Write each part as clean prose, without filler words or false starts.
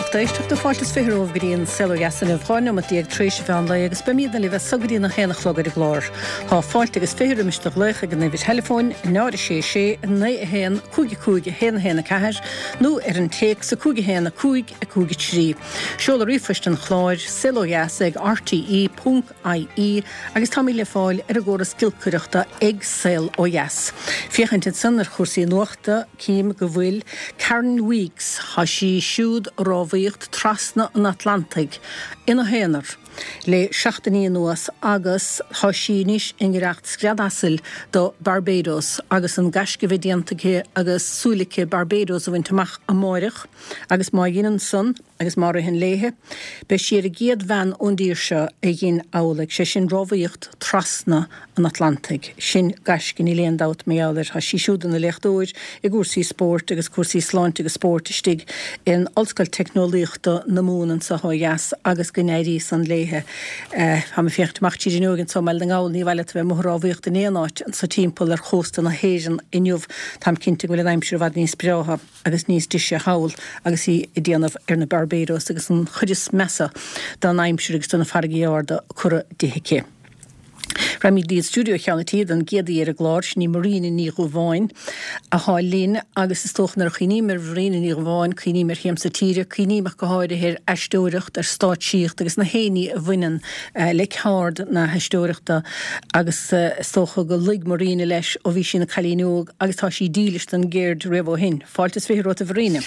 lucht éisteachta, fáilte is 20 romhaibh go dtí an Saol Ó Dheas inniu, 12 neomat tar éis an mheán lae agus beimidne libh as so go dtí an 1 a chlog ar an gclár. Tá fáilte agus 20 roimis do ghlaoch ag an uimhir theileafóin, 0 6 6 9 1 5 5 1 1 4 nó ar an téacs 5 1 5 5 3. Seoladh ríomhphoist an chláir, saolodheas ag rte. ie agus táimid le fáil ar an gcóras giolcaireachta ag Saol Ó Dheas. Féachaint ansan ar chúrsaí nuachta, cím go bhfuil Karen Weekes, tá sí siúd ag rámhaíocht trasna an Atlantaigh ina haonar le seachtainí anuas agus tá sí anois i ngiorracht scread asail do Barbados agus an gaisce a bheith déanta aici agus súil aici Barbados a bhaint amach amáireach agus má dheineann san, Agus má ritheann léithe, beidh sí ar an gcéad bhean ón dtír seo a dhein amhlaidh, sé sin rámhaíocht trasna an Atlantaigh. Sin gaisce, níl aon dabht mar gheall air. Tá sí siúd ina léachtóir i gcúrsaí spóirt agus cúrsaí sláinte agus spóirt istigh in Ollscoil Teicneolaíochta na Mumhan anso ó dheas agus go n-éirí san léithe. Táim ag féachaint amach tríd an fhuinneog anso i mBaile na nGall, ní mhaith leat a bheith amuigh ag rámhaíocht in aon áit anso timpeall ar chósta na hÉireann inniu. Táim cinnte go bhfuil an aimsir i bhfad níos breátha. agus níos deise thall agus í ag déanamh ar na Barbados agus an chuid is measa den aimsir agus de na farraigí arda curtha di aici. Raghaimid go dtí an stiúideo Cheann an Tí don gcéad aoi ar an gclár, sin í Marina Ní Dhubháin athá linn agus is dócha nuair a chuimhním ar Mharina Ní Dhubháin, cuimhním ar shiamsa tíre, cuimhním ach go háirithe ar aisteoireacht, ar stáitsíocht agus na haon ní a bhaineann le ceard na haisteoireachta agus is dócha go luigh Marina leis ó bhí sí ina cailín óg agus tá sí dílis don gceird riamh ó shin. Fáilte is 20 romhat a Mharina.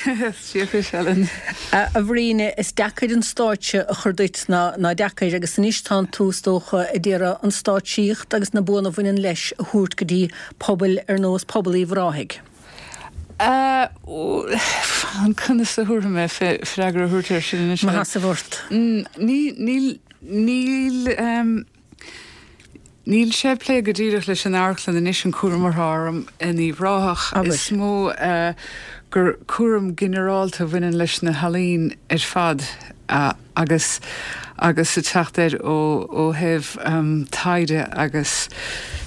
Dia dhuit, Helen. A Mharina, is deacair an stáitse a chur duit ná ná deacair agus anois tánn tú is dócha ag iarraidh an stáitsíocht agus na buanna a bhaineann leis a thabhairt go dtí pobail ar nós pobal Uíbh Ráthaigh. Conas a thabharfaidh mé freagra a thabhairt air sin anois? Mo sheasamh ort. Níl, níl, níl. Níl sé ag plé go díreach leis an amharclann anois, an cúram atá orm in Uíbh Ráthach. Is mó gur cúram ginearálta a bhaineann leis na healaín ar fad agus agus ag teacht air ó ó thaobh taighde agus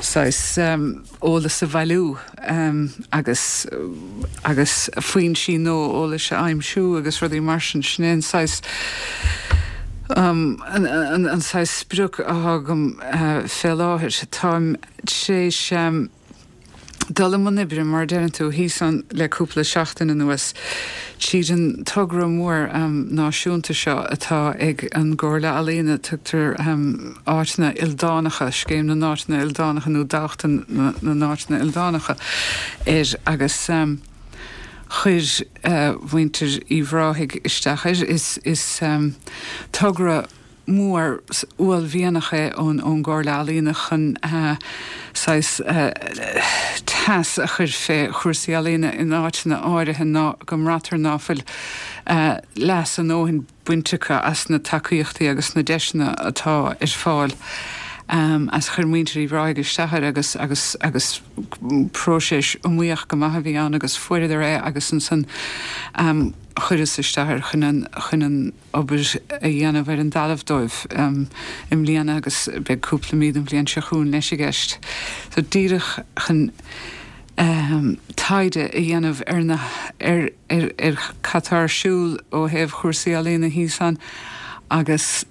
saghas eolas a bhailiú agus agus foinsí nua eolais a aimsiú agus rudaí mar sin. Sin é an saghas an saghas sprioc atá agam fé láthair. Táim tar éis dul i mbun oibre, mar a deireann tú, thíos ann le cúpla seachtain anuas, tríd an togra mór náisiúnta seo atá ag an gComhairle Ealaíona, tugtar Áiteanna Ildánacha, Scéim na nÁiteanna Ildánacha nó Dámhachtain na nÁiteanna Ildánacha air agus chuir muintir Uíbh Ráthaigh isteach air. Is togra mór uaillmhianach é ón gComhairle Ealaíona chun saghas teas a chur fé chúrsaí ealaíona in áiteanna áirithe ná go mbraitear ná fuil leas a ndóthain bainte acu as na tacaíochtaí agus na deiseanna atá ar fáil as chuir muintir Uíbh Ráthaigh isteach air agus agus agus próiseas iomaíoch go maith a bhí ann agus fuaireadar é agus ansan chuireas isteach air chun an chun an obair a dhéanamh ar an dtalamh dóibh i mbliana agus beidh cúpla mí den bhliain seo chugainn leis i gceist. So díreach chun taighde a dhéanamh ar na ar ar ar cad tá ar siúl ó thaobh chúrsaí ealaíona thíos ann agus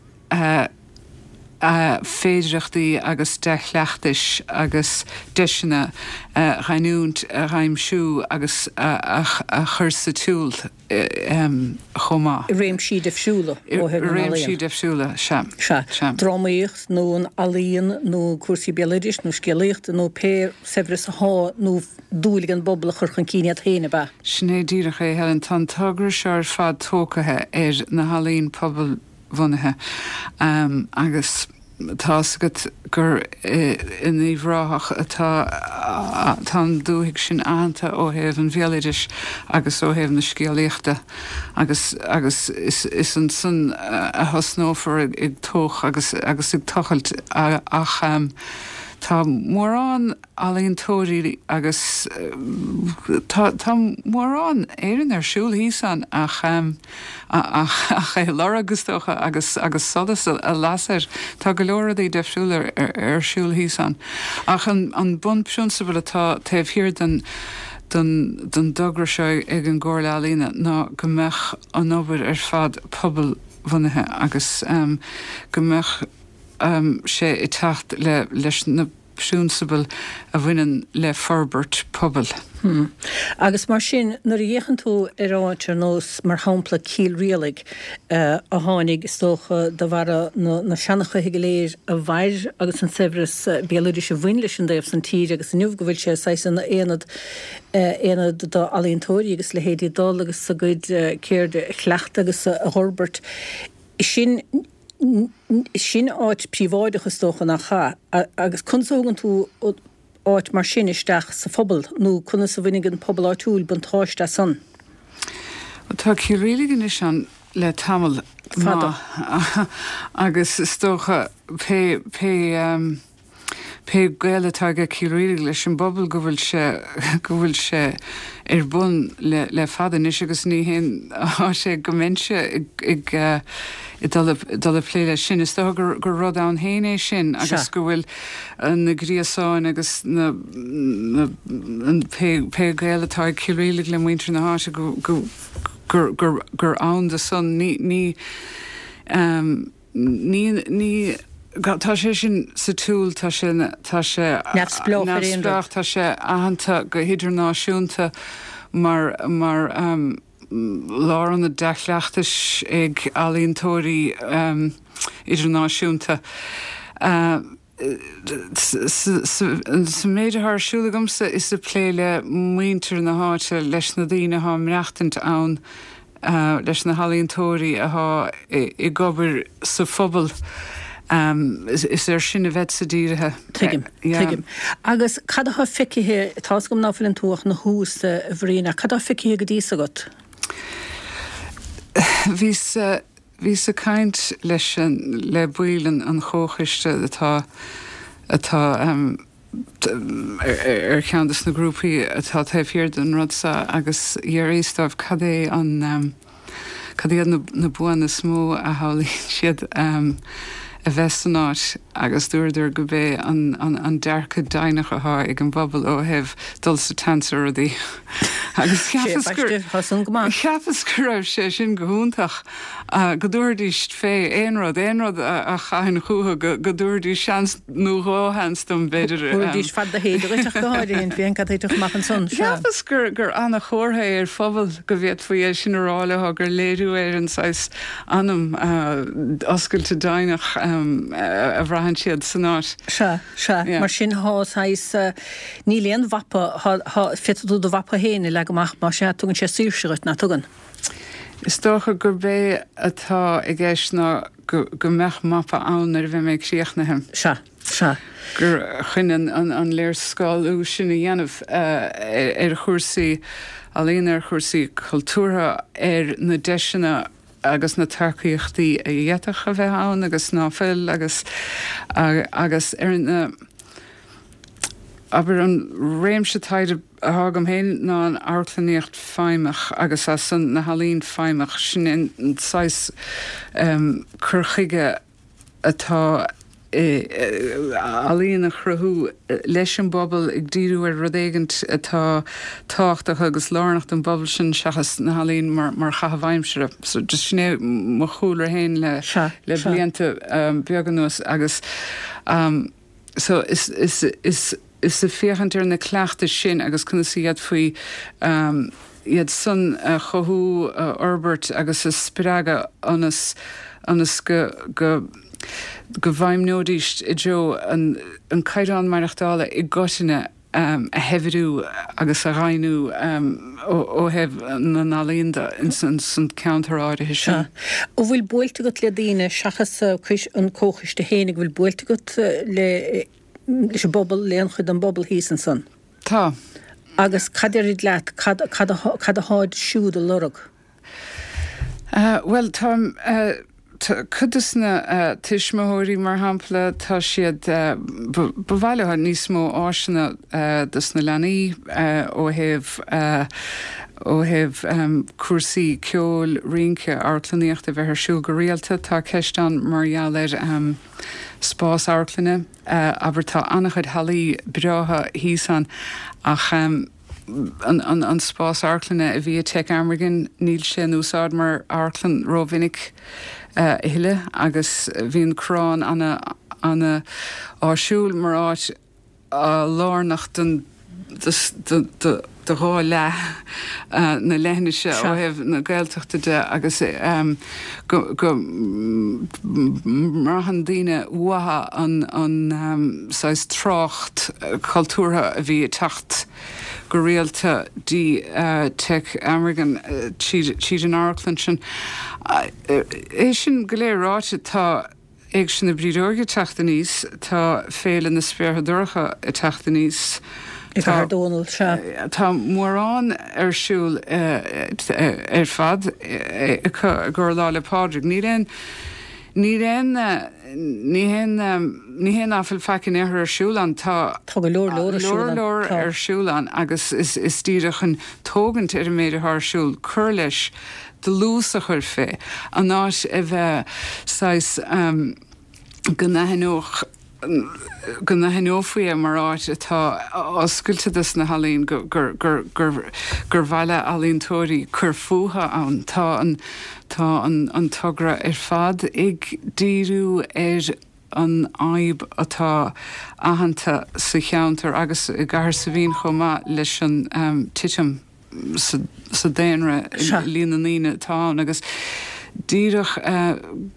féidireachtaí agus dea-chleachtais agus deiseanna a ghiniúint, a dh'aimsiú agus a chur sa tsiúl chomh maith. I réimsí difriúla ó thaobh na n-ealaíon. I réimsí difriúla, sea. Sea. Drámaíocht nó an ealaíon nó cúrsaí béaloidis nó scéalaíochta nó pé saibhreas athá nó dúil ag an bpobal a chur chun cinn iad féin, ab ea? Sin é díreach é, Helen. Tá an togra seo ar fad tógtha ar na healaín pobalbhunaithe agus tá fhios agat gur in Uíbh Ráthach atá tá an dúthaigh sin aitheanta ó thaobh an bhéaloidis agus ó thaobh na scéalaíochta agus agus is is ansan a thosnófar ag tóch agus agus ag tochailt ach tá mórán ealaíontóirí agus tá tá mórán Éireann ar siúl thíos ann ach ach ach é a lorg is dócha agus agus solas a lasadh air. Tá go leor rudaí difriúla ar ar siúl thíos ann. Ach an an bunphrionsabal atá taobh thiar den. don don dtogra seo ag an gComhairle Ealaíona ná go mbeadh an obair ar fad pobalbhunaithe agus go mbeadh sé ag teacht le leis na prionsabail a bhaineann le forbairt pobail. Hmm. Agus mar sin, nuair a fhéachann tú ar áit ar nós, mar shampla, Cill Rialaig, a tháinig, is dócha, de bharra na na seanchaithe go léir a mhair agus an saibhreas béaloidis a bhain leis an dtaobh san tíre agus inniu go bhfuil sé saghas ina aonad, aonad d'ealaíontóirí agus leithéidí dul agus a gcuid ceirde a chleachtadh agus a dh'fhorbairt. Sin. Sin áit príobháideach is dócha, nach ea? Agus conas a thugann tú áit mar sin isteach sa phobal nó conas a bhainfidh an pobal áitiúil buntáiste as san? Bhuel, tá Cill Rialaig anois ann le tamall fada agus is dócha pé, pé, pé gaol atá aige Cill Rialaig leis an bpobal go bhfuil sé, go bhfuil sé ar bun le, le fada anois agus ní haon áit é go mbeinnse ag, ag, ag dul, dul ag plé leis sin. Is dócha gur, gur rud ann féin é sin agus go bhfuil na gréasáin agus na, na, an pé, pé gaol atá ag Cill Rialaig le muintir na háite go, go, gur, gur, gur ann do san. Ní, ní, Ní, ní, tá sé sin sa tsiúl, tá sé, tá sé Neamhspleách ar aon rud. neamhspleách, tá sé aitheanta go hidirnáisiúnta mar, mar lárionad dea-chleachtais ag ealaíontóirí idirnáisiúnta. Sa méid atá ar siúl agamsa is ag plé le muintir na háite, leis na daoine atá ag maireachtaint ann, leis na healaíontóirí atá ag obair sa phobal, is air sin a bheadsa dírithe. Tuigim, tuigim. Agus cad atá feicthe, tá's agam ná fuileann tú ach ina thús, a Bhriain, ach cad atá feicthe go dtí so agat? Bhíos. Bhíos ag caint leis an, le baill an chomhchoiste atá, atá ar cheann de na grúpaí atá taobh thiar den rud seo agus d'fhiafraíos dóibh cad é an, cad iad na buanna is mó a shamhlaíonn siad a bheith san áit agus dúradar gurb é an, an dearcadh deimhneach atá ag an bpobal ó thaobh dul sa tseans ar rudaí. Agus cheapas gur, cheapas go raibh sé sin go hiontach, go dtabharfaidís fé aon rud, aon rud a chaithfinn chucu, go dtabharfaidís seans nó dhá sheans dom, b'fhéidir. Thabharfaidís fad do théide dhuit ach go háirithe, féach cad a thitfeadh amach ansan, sea. Cheapas gur, gur ana-chomhartha é ar phobal go bhféadfaí é sin a rá leo, gur léiriú é ar an saghas anam oscailte deimhneach a bhraitheann siad san áit. Sea, sea. Mar sin, thá saghas, Níl aon mhapa, thá, féadfaidh tú do mhapa féin a leagadh amach, más ea, tugann sé saoirse dhuit, nach dtugann? Is dócha gurb é atá i gceist ná go, go mbeadh mapa ann nuair a bheidh mé críochnaithe. Sea, sea. Gur chun an, an, an léarscáiliú sin a dhéanamh ar chúrsaí ealaíona, ar chúrsaí cultúrtha, ar na deiseanna agus na tacaíochtaí a d'fhéadfadh a bheith ann agus ná fuil agus, agus ar na, abair, an réimse taighde atá agam féin ná an amharclannaíocht feidhmeach agus as san na healaín feidhmeach, sin an saghas cur chuige atá ealaíon a chruthú leis an bpobal, ag díriú ar rud éigint atá tábhachtach agus lárnach don bpobal sin seachas na healaín mar chaitheamh aimsire. So just sin é mo chúlra féin le le blianta beaga anuas agus so is is is is ag féachaint ar na cleachtais sin agus conas a d'fhéadfaí iad san a chothú, a fhorbairt agus a spreagadh ionas ionas go go go bhfeidhmeoidís i dtreo an an caighdeán maireachtála i gcoitinne a shaibhriú agus a dhoimhniú ó thaobh na n-ealaíon de ins an ceantar áirithe sin. Sea. An bhfuil buailte agat le daoine seachas an comhchoiste féin, an bhfuil buailte agat le leis an bpobal, le aon chuid den bpobal thíos ansan. Tá. Agus cad deirid leat, cad, cad, cad atháid siúd a lorg? Bhuel, tá, cuid des na tuismitheoirí, mar shampla, tá siad, ba mhaith leo níos mó áiseanna dos na leanaí ó thaobh, ó thaobh cúrsaí ceoil, rince, amharclannaíochta a bheith ar siúl go rialta. Tá ceist ann mar gheall ar spás amharclainne. Abair, tá an-chuid hallaí breátha thíos ann ach. An spás amharclainne a bhí i Tech Amergin, níl sé in úsáid mar amharclann rómhinic a thuilleadh agus bhí an Corrán ana-áisiúil mar áit lárnach don do dhá leath na leithinise ó thaobh na Gaeltachta de agus go mbraitheann daoine uathu an saghas trácht cultúrtha a bhí ag teacht go rialta dtí Tech Amergin tríd an amharclann sin. É sin go léir ráite, tá Éigse na Brídeoige ag teacht aníos, tá Féile na Spéartha Dorcha ag teacht aníos, I gCathair Dónall, sea. Tá mórán ar siúl ar fad i gcomhair Lá 'le Pádraig. Níl aon, níl aon, ní haon, ní haon ná fuil faic in aon chor ar siúl ann. Tá. Tá go leor leor ar siúl ann. Leor leor ar siúl ann agus is díreach chun tógaint ar an méid atá ar siúl, cur leis, dlús a chur fé, an áit a bheith saghas go n-aithneodh, go n-aithneofaí é mar áit atá oscailte dos na healaíon, gur, gur, gur, gur mhaith le ealaíontóirí cur fúthu ann. Tá an, tá an, an togra ar fad ag díriú ar an fhadhb atá aitheanta sa cheantar agus i gCathair Saidhbhín chomh maith leis an titim. sa daonra, líon na ndaoine atá ann agus díreach,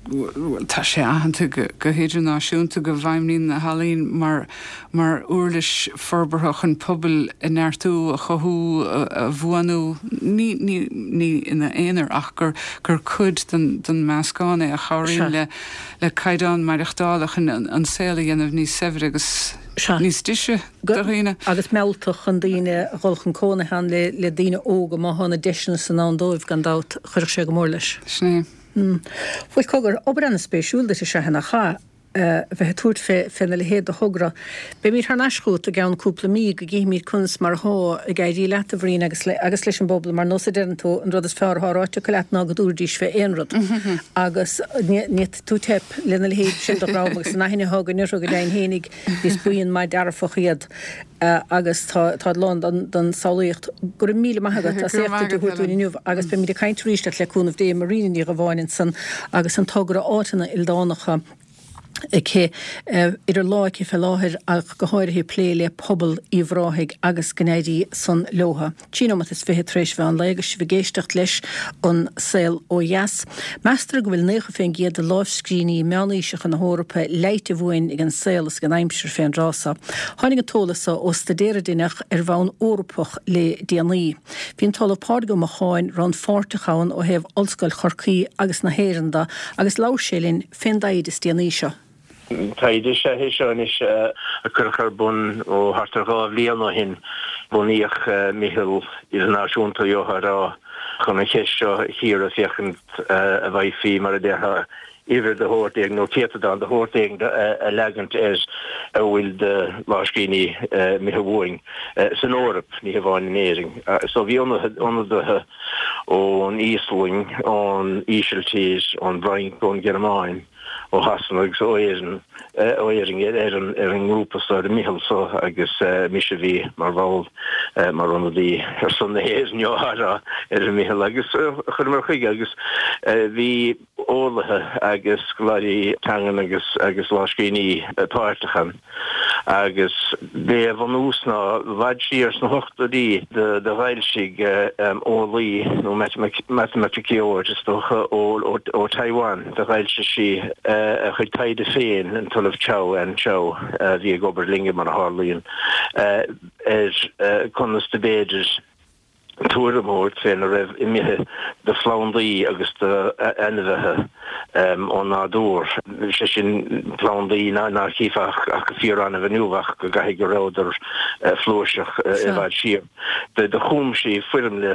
bhuel, tá sé aitheanta go hidirnáisiúnta go bhfeidhmníonn na healaín mar mar uirlis forbartha chun pobail a neartú, a chothú, a bhuanú, ní ní ní ina aonar ach gur gur cuid den den meascán é a chabhraíonn le le caighdeán maireachtála chun an saol a dhéanamh níos saibhre agus níos deise. do dhaoine. Agus mealltach chun daoine a dhul chun cónaithe ann le daoine óga, má thá na deiseanna san ann dóibh, gan dabht, chuirfeadh sé go mór leis. Sin é. Bhuel, cogar, obair ana-spéisiúil duit is ea nach ea, a bheith ag tabhairt fé, féna leithéid de thogra. Beimíd thar n-ais chugat i gceann cúpla mí go gcífimíd conas mar athá ag éirí leat, a Bhriain, agus le, agus leis an bpobal. Mar nós a deireann tú, an rud is fearr athá ráite acu leat ná go dtabharfaidís fé aon rud. Agus ní, ní fhéadfaidh tú teip lena leithéid sin de dhream agus an aithne athá againn orthu go deimhin fhéinig, Is buíon maith dearfach iad agus táid lán den samhlaíocht. Go raibh míle maith agat as éacht duit a thabhairt dúinn inniu agus beimid ag caint arís leat le cúnamh Dé. Marina Ní Dhubháin ansan agus an togra Áiteanna Ildánacha aici idir lámha aici fé láthair ach go háirithe ag plé le pobal Uíbh Ráthaigh agus go n-éirí san leotha. 23 nóimeat tar éis mheán lae agus sibh ag éisteacht leis An Saol Ó Dheas. Meastar go bhfuil 90% de lámhscríbhinní meánaoiseacha na hEorpa leighte uainn ag an saol is ag an aimsir fén dtráth so. Tháinig an t-eolas so ó staidéar a deineadh ar bhonn Eorpach le déanaí. Bhí an tOllamh Pádraig Ó Macháin rannpháirteach ann ó thaobh Ollscoil Chorcaí agus na hÉireann de agus labhair sé linn fén dtaighde is déanaí seo. Taighde is ea é seo anois a cuireadh ar bun ó thart ar 2 bhliain ó shin. Bunaíodh meitheal idirnáisiúnta, gheofá a rá, chun an cheist seo a chíoradh féachaint an bhfaighfí, mar a déarfá, uimhir de shórt éigin nó céatadán de shórt éigin a leagaint ar a bhfuil de lámhscríbhinní imithe uainn san Eoraip, ní hamháin in Éirinn. So bhí ionadaithe ón Íoslainn, ón Ísiltír, ón bhFrainc, ón Ghearmáin, ó Shasana agus ó Éirinn, ó Éirinn ar an ar an ngrúpa so, ar an meitheal so agus mise a bhí mar bhall, mar ionadaí ar son na hÉireann, gheofá a rá, ar an meitheal agus chuireamar chuige agus bhí eolaithe agus scoláirí teangan agus agus lámhscríbhinní páirteach ann. Agus b'é a bhunús ná i bhfad siar sna hochtóidí do d'fhoilsigh eolaí nó matamaiticeoir is dócha ó Taiwan, do d'fhoilsigh sí a chuid taighde féin, an tOllamh Chou, Ann Chou, a bhí ag obair linne mar a tharlaíonn, ar conas do b'fhéidir tuairim a thabhairt féna raibh imithe de phlandaí agus d'ainmhithe ón nádúr, sé sin plandaí ná chífeá ach go fíor-annamh inniu ach go gcaithfidh go rabhadar flúirseach i bhfad siar. Do chum sí foirmle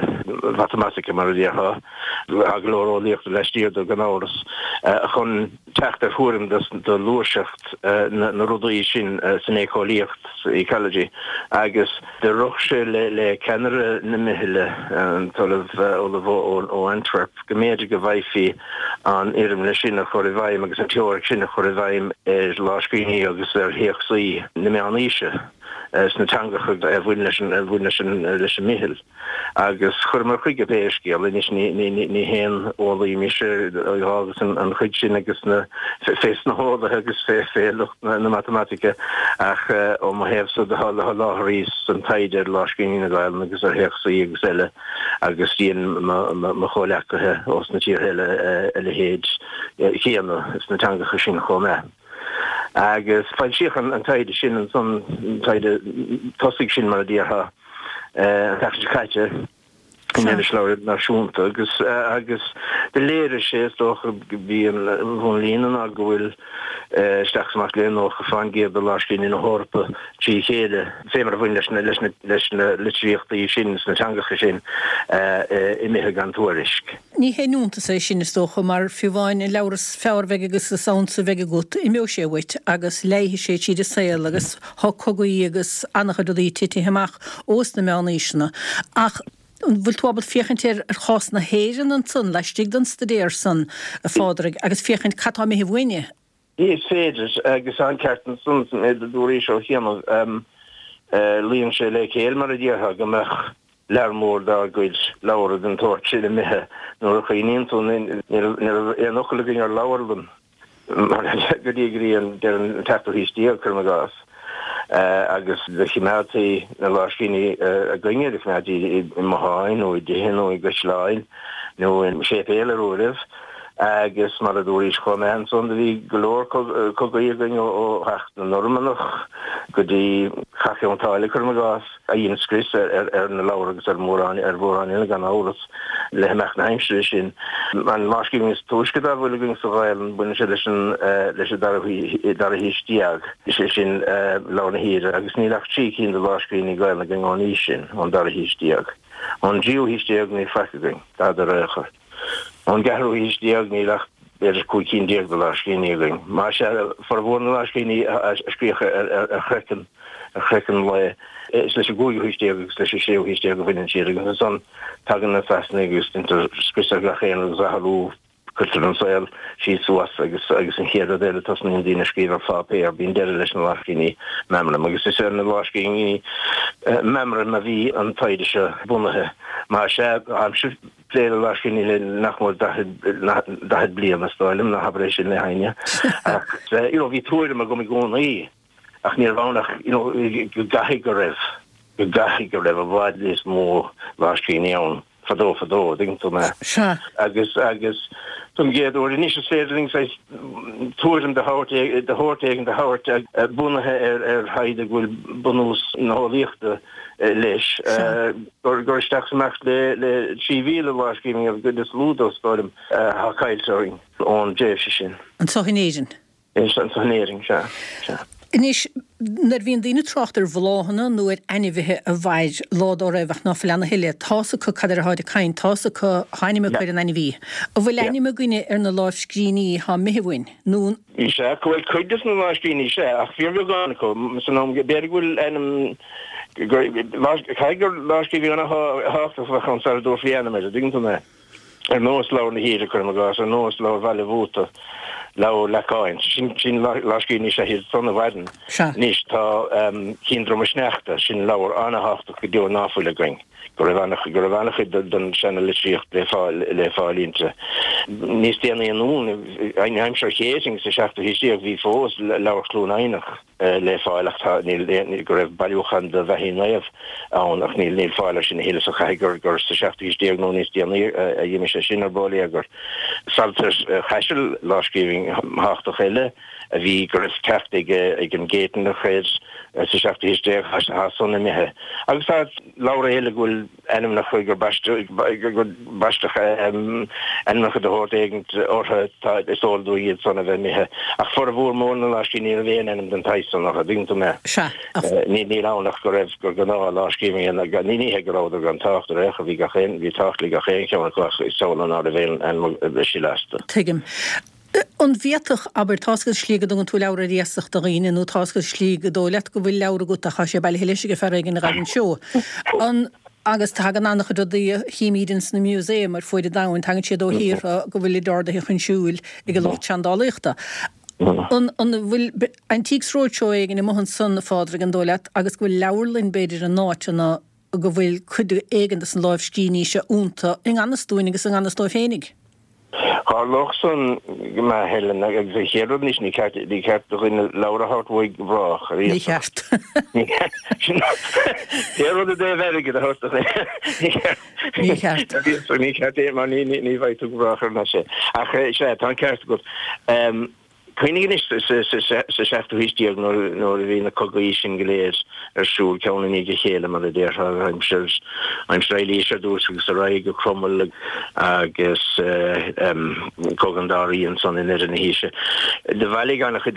mhatamaitice, mar a déarfá, tá go leor eolaíochta laistiar de gan amhras, chun teacht ar thuairim de ghluaiseacht na rudaí sin san éiceolaíocht, ecology, agus do rith sé le ceannaire na meithle, an tOllamh Ollamh ó Antwerp, go mb'fhéidir go bhfaighfí an fhoirmle sin a chur i bhfeidhm agus an teoiric sin a chur i bhfeidhm ar lámhscríbhinní agus ar théacsaí na meánaoise. sna teangacha a bhain leis an a bhain leis an leis an Meitheal. Agus chuireamar chuige pé scéal anois ní ní ní haon eolaí mise agus an an chuid sin agus na fé sna heolaithe agus fé fé lucht na na matamaitice ach ó mo thaobhsa do sholáthraíos an taighde ar lámhscríbhinní na Gaelainne agus ar théacsaí agus eile agus dhein mo mo chomhleacaithe ós na tíortha eile a leithéid chéanna sna teangacha sin chomh maith. Agus foilsíodh an taighde sin ansan, an taighde tosaigh sin mar a déarfá, an tseachtain seo caite in Irisleabhar Idirnáisiúnta agus agus do léirigh sé, is dócha, bhí an bhunlíne ná go bhfuil isteach is amach le 90% de lámhscríbhinní na hEorpa trí chéile, fé mar a bhain leis na leis na leis na litríochtaí sin sna teangacha sin, imithe gan tuairisc. Ní haon iontas é sin, is dócha, mar fiú amháin an leabhar is fearr a bheidh agus is ansa a bheidh agat, imeoidh sé uait agus leáfaidh sé tríd an saol agus thá cogaí agus an-chuid rudaí titithe amach ós na meánaoiseanna. Ach an bhfuil tú ábalta féachaint ar chás na hÉireann ansan, laistigh den staidéar san, a Phádraig, agus féachaint cad tá imithe uainne? Is féidir, agus tá an ceart ansan sa méid a dúraís ó chianaibh. Luíonn sé le céill, mar a déarfá, go mbeadh lear mór dár gcuid leabhra den tsórt sin imithe nuair a chuimhníonn tú, ní raibh aon fhocal againn ar leabharlann go dtí go dtí an deireadh an tseachtú haois déag, cuirim i gcás, agus do chimeádtaí na lámhscríbhinní againne, do chimeádtaí i mbotháin nó i dtithe nó i gcaisleáin nó i séipéil ar uairibh agus mar a dúraís chomh maith ansan do bhí go leor cogaí againn ó theacht na Normannach go dtí Cath Chionn tSáile, cuirim i gcás. a dhein scrios ar na leabhair agus ar mhórán ar mhórán eile gan amhras, le himeacht na haimsire sin. An lámhscríbhinn is túisce dá bhfuil againn sa Ghaelainn, baineann sé leis an leis an dara dara haois déag, is é sin Leabhar na hAoire, agus níl ach 3 cinn de lámhscríbhinní Gaelainne againn ón aois sin, ón dara haois déag. Ón dtríú haois déag níl faic againn, dada ar aon chor. Ón gceathrú haois déag níl ach b'fhéidir 15 cinn de lámhscríbhinní againn. Más ea, formhór na lámhscríbhinní a scríodh ar chraiceann, ar chraiceann lao, is leis an gcúigiú haois déag agus leis an séú haois déag a bhaineann siad agus ansan tagann na Sasanaigh agus deintear scrios ar gach aon rud agus athrú Cuirtear an saol síos suas agus agus an chéad rud eile tosnaíonn daoine ag scríobh ar pháipéar, bíonn deireadh leis na lámhscríbhinní meamraim agus is ar na lámhscríbhinní meamraim a bhí an taighde seo bunaithe. Más ea, táimse ag plé le lámhscríbhinní le nach mór 40 bliain is dóigh liom, ná habair é sin le héinne ach you know bhí tuairim agam i gcónaí ach ní raibh ann ach you know go gcaithfidh go raibh, go gcaithfidh go raibh i bhfad níos mó lámhscríbhinní ann. fadó fadó, an dtuigeann tú mé. Sea. Agus, agus don gcéad uair anois is féidir linn saghas tuairim de shórt, de shórt éigin a thabhairt bunaithe ar, ar thaighde go bhfuil bunús na heolaíochta leis, gur, gur isteach is amach le, le 3,000 lámhscríbhinn an gcuid is lú dó, is dóigh liom, atá caillte orainn ón dtréimhse sin. Anseo in Éirinn? Anseo in Éirinn, sea, sea. Anois, nuair a bhíonn daoine ag trácht ar bhláthanna nó ar ainmhithe a mhair lá dá raibh ach ná fuil ann a thuilleadh, tá's acu cad air atáid ag caint, tá's acu, tá ainm acu ar an ainmhí. An bhfuil ainm againne ar na lámhscríbhinní thá imithe uainn, nó an. Sea, go bhfuil cuid des na lámhscríbhinní, sea, ach fíorbheagán acu, san am, b'fhéidir go bhfuil ainm, gur, caithfidh gur lámhscríbhinn ana-thábhachtach a bheadh ann sara dtabharfaí ainm air, an dtuigeann tú mé? Ar nós Leabhar na hAoire, cuirim i gcás, ar nós Leabhar Bhaile Bhuata, Leabhar Leacáin. Sin, sin lámhscríbhinní is ea iad san a mhaireann. Sea. Anois tá Cinn Droma Sneachta, sin leabhar an-thábhachtach go deo ná fuil againn, go raibh an, go raibh an-chuid den seana-litríocht le fáil, le fáil inti. Níos déanaí anonn, in aimsir Chéitinn sa seachtú haois déag, bhí fós Leabhar Chluain Eidhneach. le fáil ach tá, níl, go raibh bailiúchán de bheathaí naomh ann ach níl, níl fáil air sin a thuilleadh so caithfidh gur, gur sa seachtú haois déag nó níos déanaí a d'imigh sé sin ar bóiléagar. Saltair Chaisil, lámhscríbhinn thábhachtach eile a bhí, go raibh teacht ag, ag an gCéitinneach air sa seachtú haois déag, tá san imithe. Agus tá leabhra eile go bhfuil ainmneacha gur baisteadh gur baisteadh ainmneacha de shórt éigin orthu, tá, is eol dúinn iad san a bheith imithe. Ach formhór mór na lámhscríbhinní ní raibh aon ainm den tsaghas san orthu, dtuigeann tú mé. Sea, ach. Ní, níl ann ach go raibh, gur gnáth lámhscríbhinn, ní, ní hé go rabhadar gan tábhacht ar aon chor, bhí gach aon, bhí tábhacht le gach aon cheann acu ach is samhail ná raibh aon ainm a sileadh astu. Tuigim. An bhféadfadh, abair, tá's agat slí go dtugann tú leabhar ar iasacht do dhaoine nó tá's agat slí gur dóigh leat go bhfuil leabhar agat ach tá sé bailithe leis ag fear éigin a ghaibh anseo. An, agus tagann an-chuid rudaí a chímíd ins na museum ar fuaid an domhain, tagann siad ó thíortha go bhfuilid ardaithe chun siúil ag an lucht seandálaíochta. An bhfuil Antiques Roadshow éigin amuigh ansan, a Phádraig, an dóigh leat, agus go bhfuil leabharlann, b'fhéidir, in áiteanna go bhfuil cuid éigin de na lámhscríbhinní seo iontu, i ngan fhios dúinn agus i ngan fhios dóibh féinig? Tharlódh san go maith, Helen, agus an chéad rud anois, ní ceart, ní ceart do dhuine leabhar a thabhairt uaidh go brách, ar Ní ceart. Ní ceart. Sin pé rud i dtaobh airgid a thabhairt do dhuine, ní ceart. Ní ceart. Ní ceart é mar ní bheidh tú go brách thar n-ais. Ach sea, tá an ceart agat. Cuimhnigh anois sa seachtú haois déag nuair a bhí na cogaí sin go léir ar siúl, ceann i ndiaidh a chéile, mar a déarfá, aimsir aimsir Eilís ar dtús agus ar aghaidh go Cromail agus Cogadh an Dá Rí ansan i ndeireadh na haoise. Do bhailigh an-chuid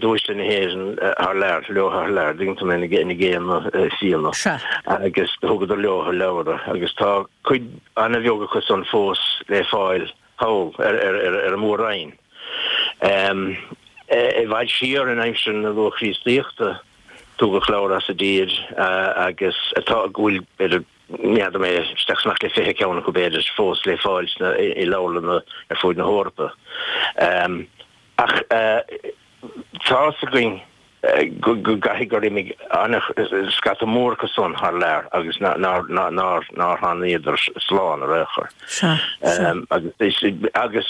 d'uaisle na hÉireann thar lear, leo thar lear, dtuigeann tú mé, ina gcéanna fianna. Agus do thugadar leo leabhra agus tá cuid an-bheag acu san fós le fáil thall ar an Mhór-Roinn. I bhfad siar in aimsir na luath-Chríostaíochta tugadh leabhar as an dtír agus atá, go bhfuil, b'fhéidir, n'fheadar mé, isteach is amach le 20 ceann acu b'fhéidir, fós le fáil sna, i leabharlanna ar fuaid na hEorpa. Ach tá's againn go gcaithfidh gur imigh scata mór acu san thar lear agus nár thánaíodar slán ar aon chor. Agus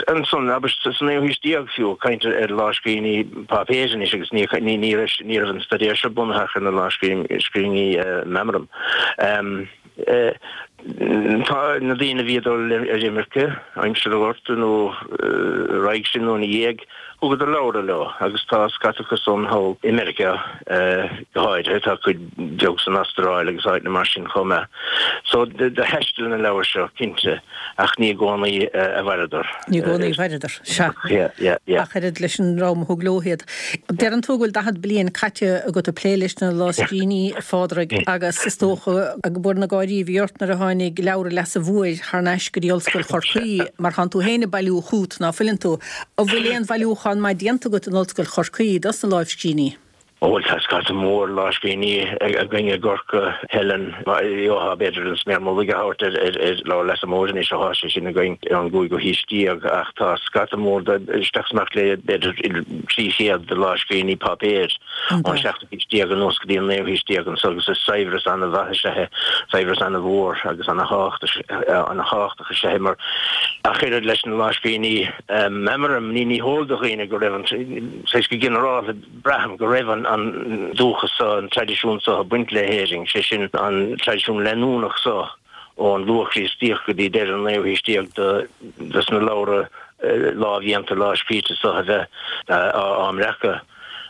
ansan, abair, sa naoú haois déag fiú, ag caint ar lámhscríbhinní páipéir anois agus ní raibh an staidéar seo bunaithe ach ar na lámhscríbhinní meamram. Tá na daoine a bhí ag dul ar imirce, aimsir an Ghorta nó roimhe sin nó ina dhiaidh, thugadar leabhra leo agus tá scata acu san thall i Meiriceá go háirithe, tá cuid bheag san Astráil agus áiteanna mar sin chomh maith. So do thaistil na leabhair seo, cinnte, ach ní i gcónaí a mhaireadar. Ní i gcónaí a mhaireadar, sea. Yeah, yeah, yeah. Ach oiread leis an dream a thug leo iad. Deireann tú go bhfuil 40 bliain caite agat ag plé leis na lámhscríbhinní, a Phádraig, agus is dócha go bhfuil na gáirí a bhí ort nuair a tháinig Leabhar Leasa Mhóir thar n-ais go dtí Ollscoil Chorcaí, mar thánn tú féin ag bailiú chút, ná fuileann tú? An bhfuil aon bhailiúchán maith déanta agat in Ollscoil Chorcaí dos na lámhscríbhinní? Ó bhuel tá scata mór lámhscríbhinní againn i gCorcaigh, Helen. Gheofá b'fhéidir an sméar mullaigh a thabhairt ar Leabhar Leasa Móir anois ó thá sé sin againn ón gcúigiú haois déag ach tá scata mór de, isteach is amach le b'fhéidir 300 de lámhscríbhinní páipéir ón seachtú haois déag anuas go dtí an naoú haois déag anso agus is saibhreas ana-mhaith is ea é, saibhreas ana-mhór agus ana-thábhachtach is ea é mar ach oiread leis na lámhscríbhinní meamraim ní heol do dhaoine go raibh an, saghas go ginearálta, Braithim go raibh an dúchas seo, an traidisiún seo ag baint le hÉirinn, sé sin an traidisiún leanúnach seo ón luath-Chríostaíocht go dtí deireadh an naoú haois déag de sna leabhra lámhdhéanta, lámhscríte seo a bheith á mbreacadh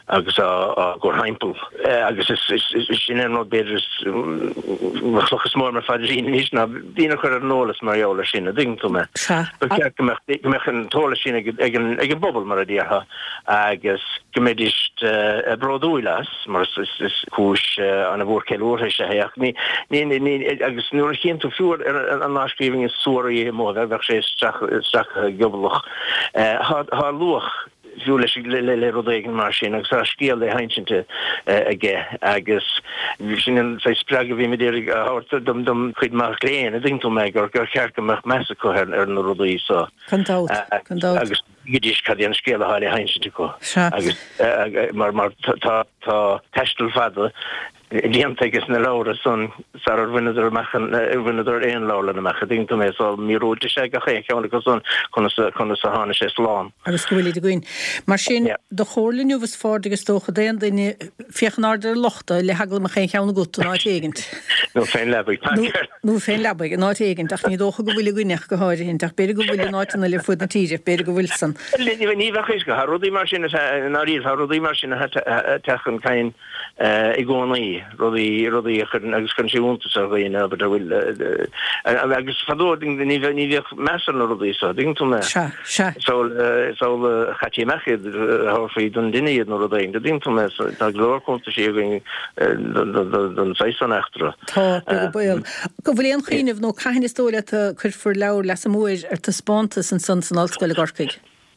agus á gcur thimpeall. Agus is sin an rud b'fhéidir is mo chloch is mó ar mo phaidrín anois ná daoine a chur ar an eolas mar gheall air sin, a dtuigeann tú mé. Ba cheart go mbeadh an t-eolas sin ag an bpobal mar a déarfá. agus go mbeidís bródúil as, mar is cúis ana-mhór ceiliúrtha is ea é. Ach ní, ní, agus nuair a chíonn tú fiú ar an lámhscríbhinn is suaraí amuigh, bheadh sé stractha gioblach, tá luach fiú leis, le rud éigin mar sin agus tá scéal le hinsint aige agus sin an saghas spreagadh a bhím ag iarraidh a thabhairt dom chuid mac léinn, a dtuigeann tú mé, gur cheart go mbeadh meas acu ar na rudaí so. Gan dabht, gan dabht. Agus tuigfidís cad é an scéal atá le hinsint acu. Sea. Agus mar mar tá tá taisteal fada déanta aige sna leabhra san sarar bhaineadar amach an bhaineadar aon leabharlann amach a dtuigeann tú mé so míorúilt is ea gach aon cheann acu san conas conas a tháinig sé slán. Agus go bhfuilid againn. Mar sin, do chomhairle inniu is Phádraig is dócha d'aon duine féach in airde ar lochta le heagla go mbeadh aon cheann agat in áit éigint. Nó fén leabaidh. Nó fén leabaidh, in áit éigint, ach ní dócha go bhfuil againne ach go háirithint, ach b'fhéidir go bhfuil in áiteanna eile ar fuaid na tíre, b'fhéidir go bhfuil san. Ní bheadh a fhios agat, tá rudaí mar sin, i ndáiríre, tá rudaí mar sin ag teacht chun cinn i gcónaí, rudaí, rudaí a chuireann, agus cuireann sé iontas ar dhaoine, abair, a bhfuil, agus fadó ní bhíodh meas ar na rudaí seo, dtuigeann tú mé? Sea, sea. Sul a chaití amach iad, thabharfaí don duine iad nó rud éigin, dtuigeann tú mé? Tá go leor cuntaisí againn don saghas san eachtra. Tá, beag an baol. An bhfuil aon chuimhneamh nó cathain is dóigh leat a cuirfear Leabhar Leasa Móir ar taispeántas ansan san Ollscoil i gCorcaigh?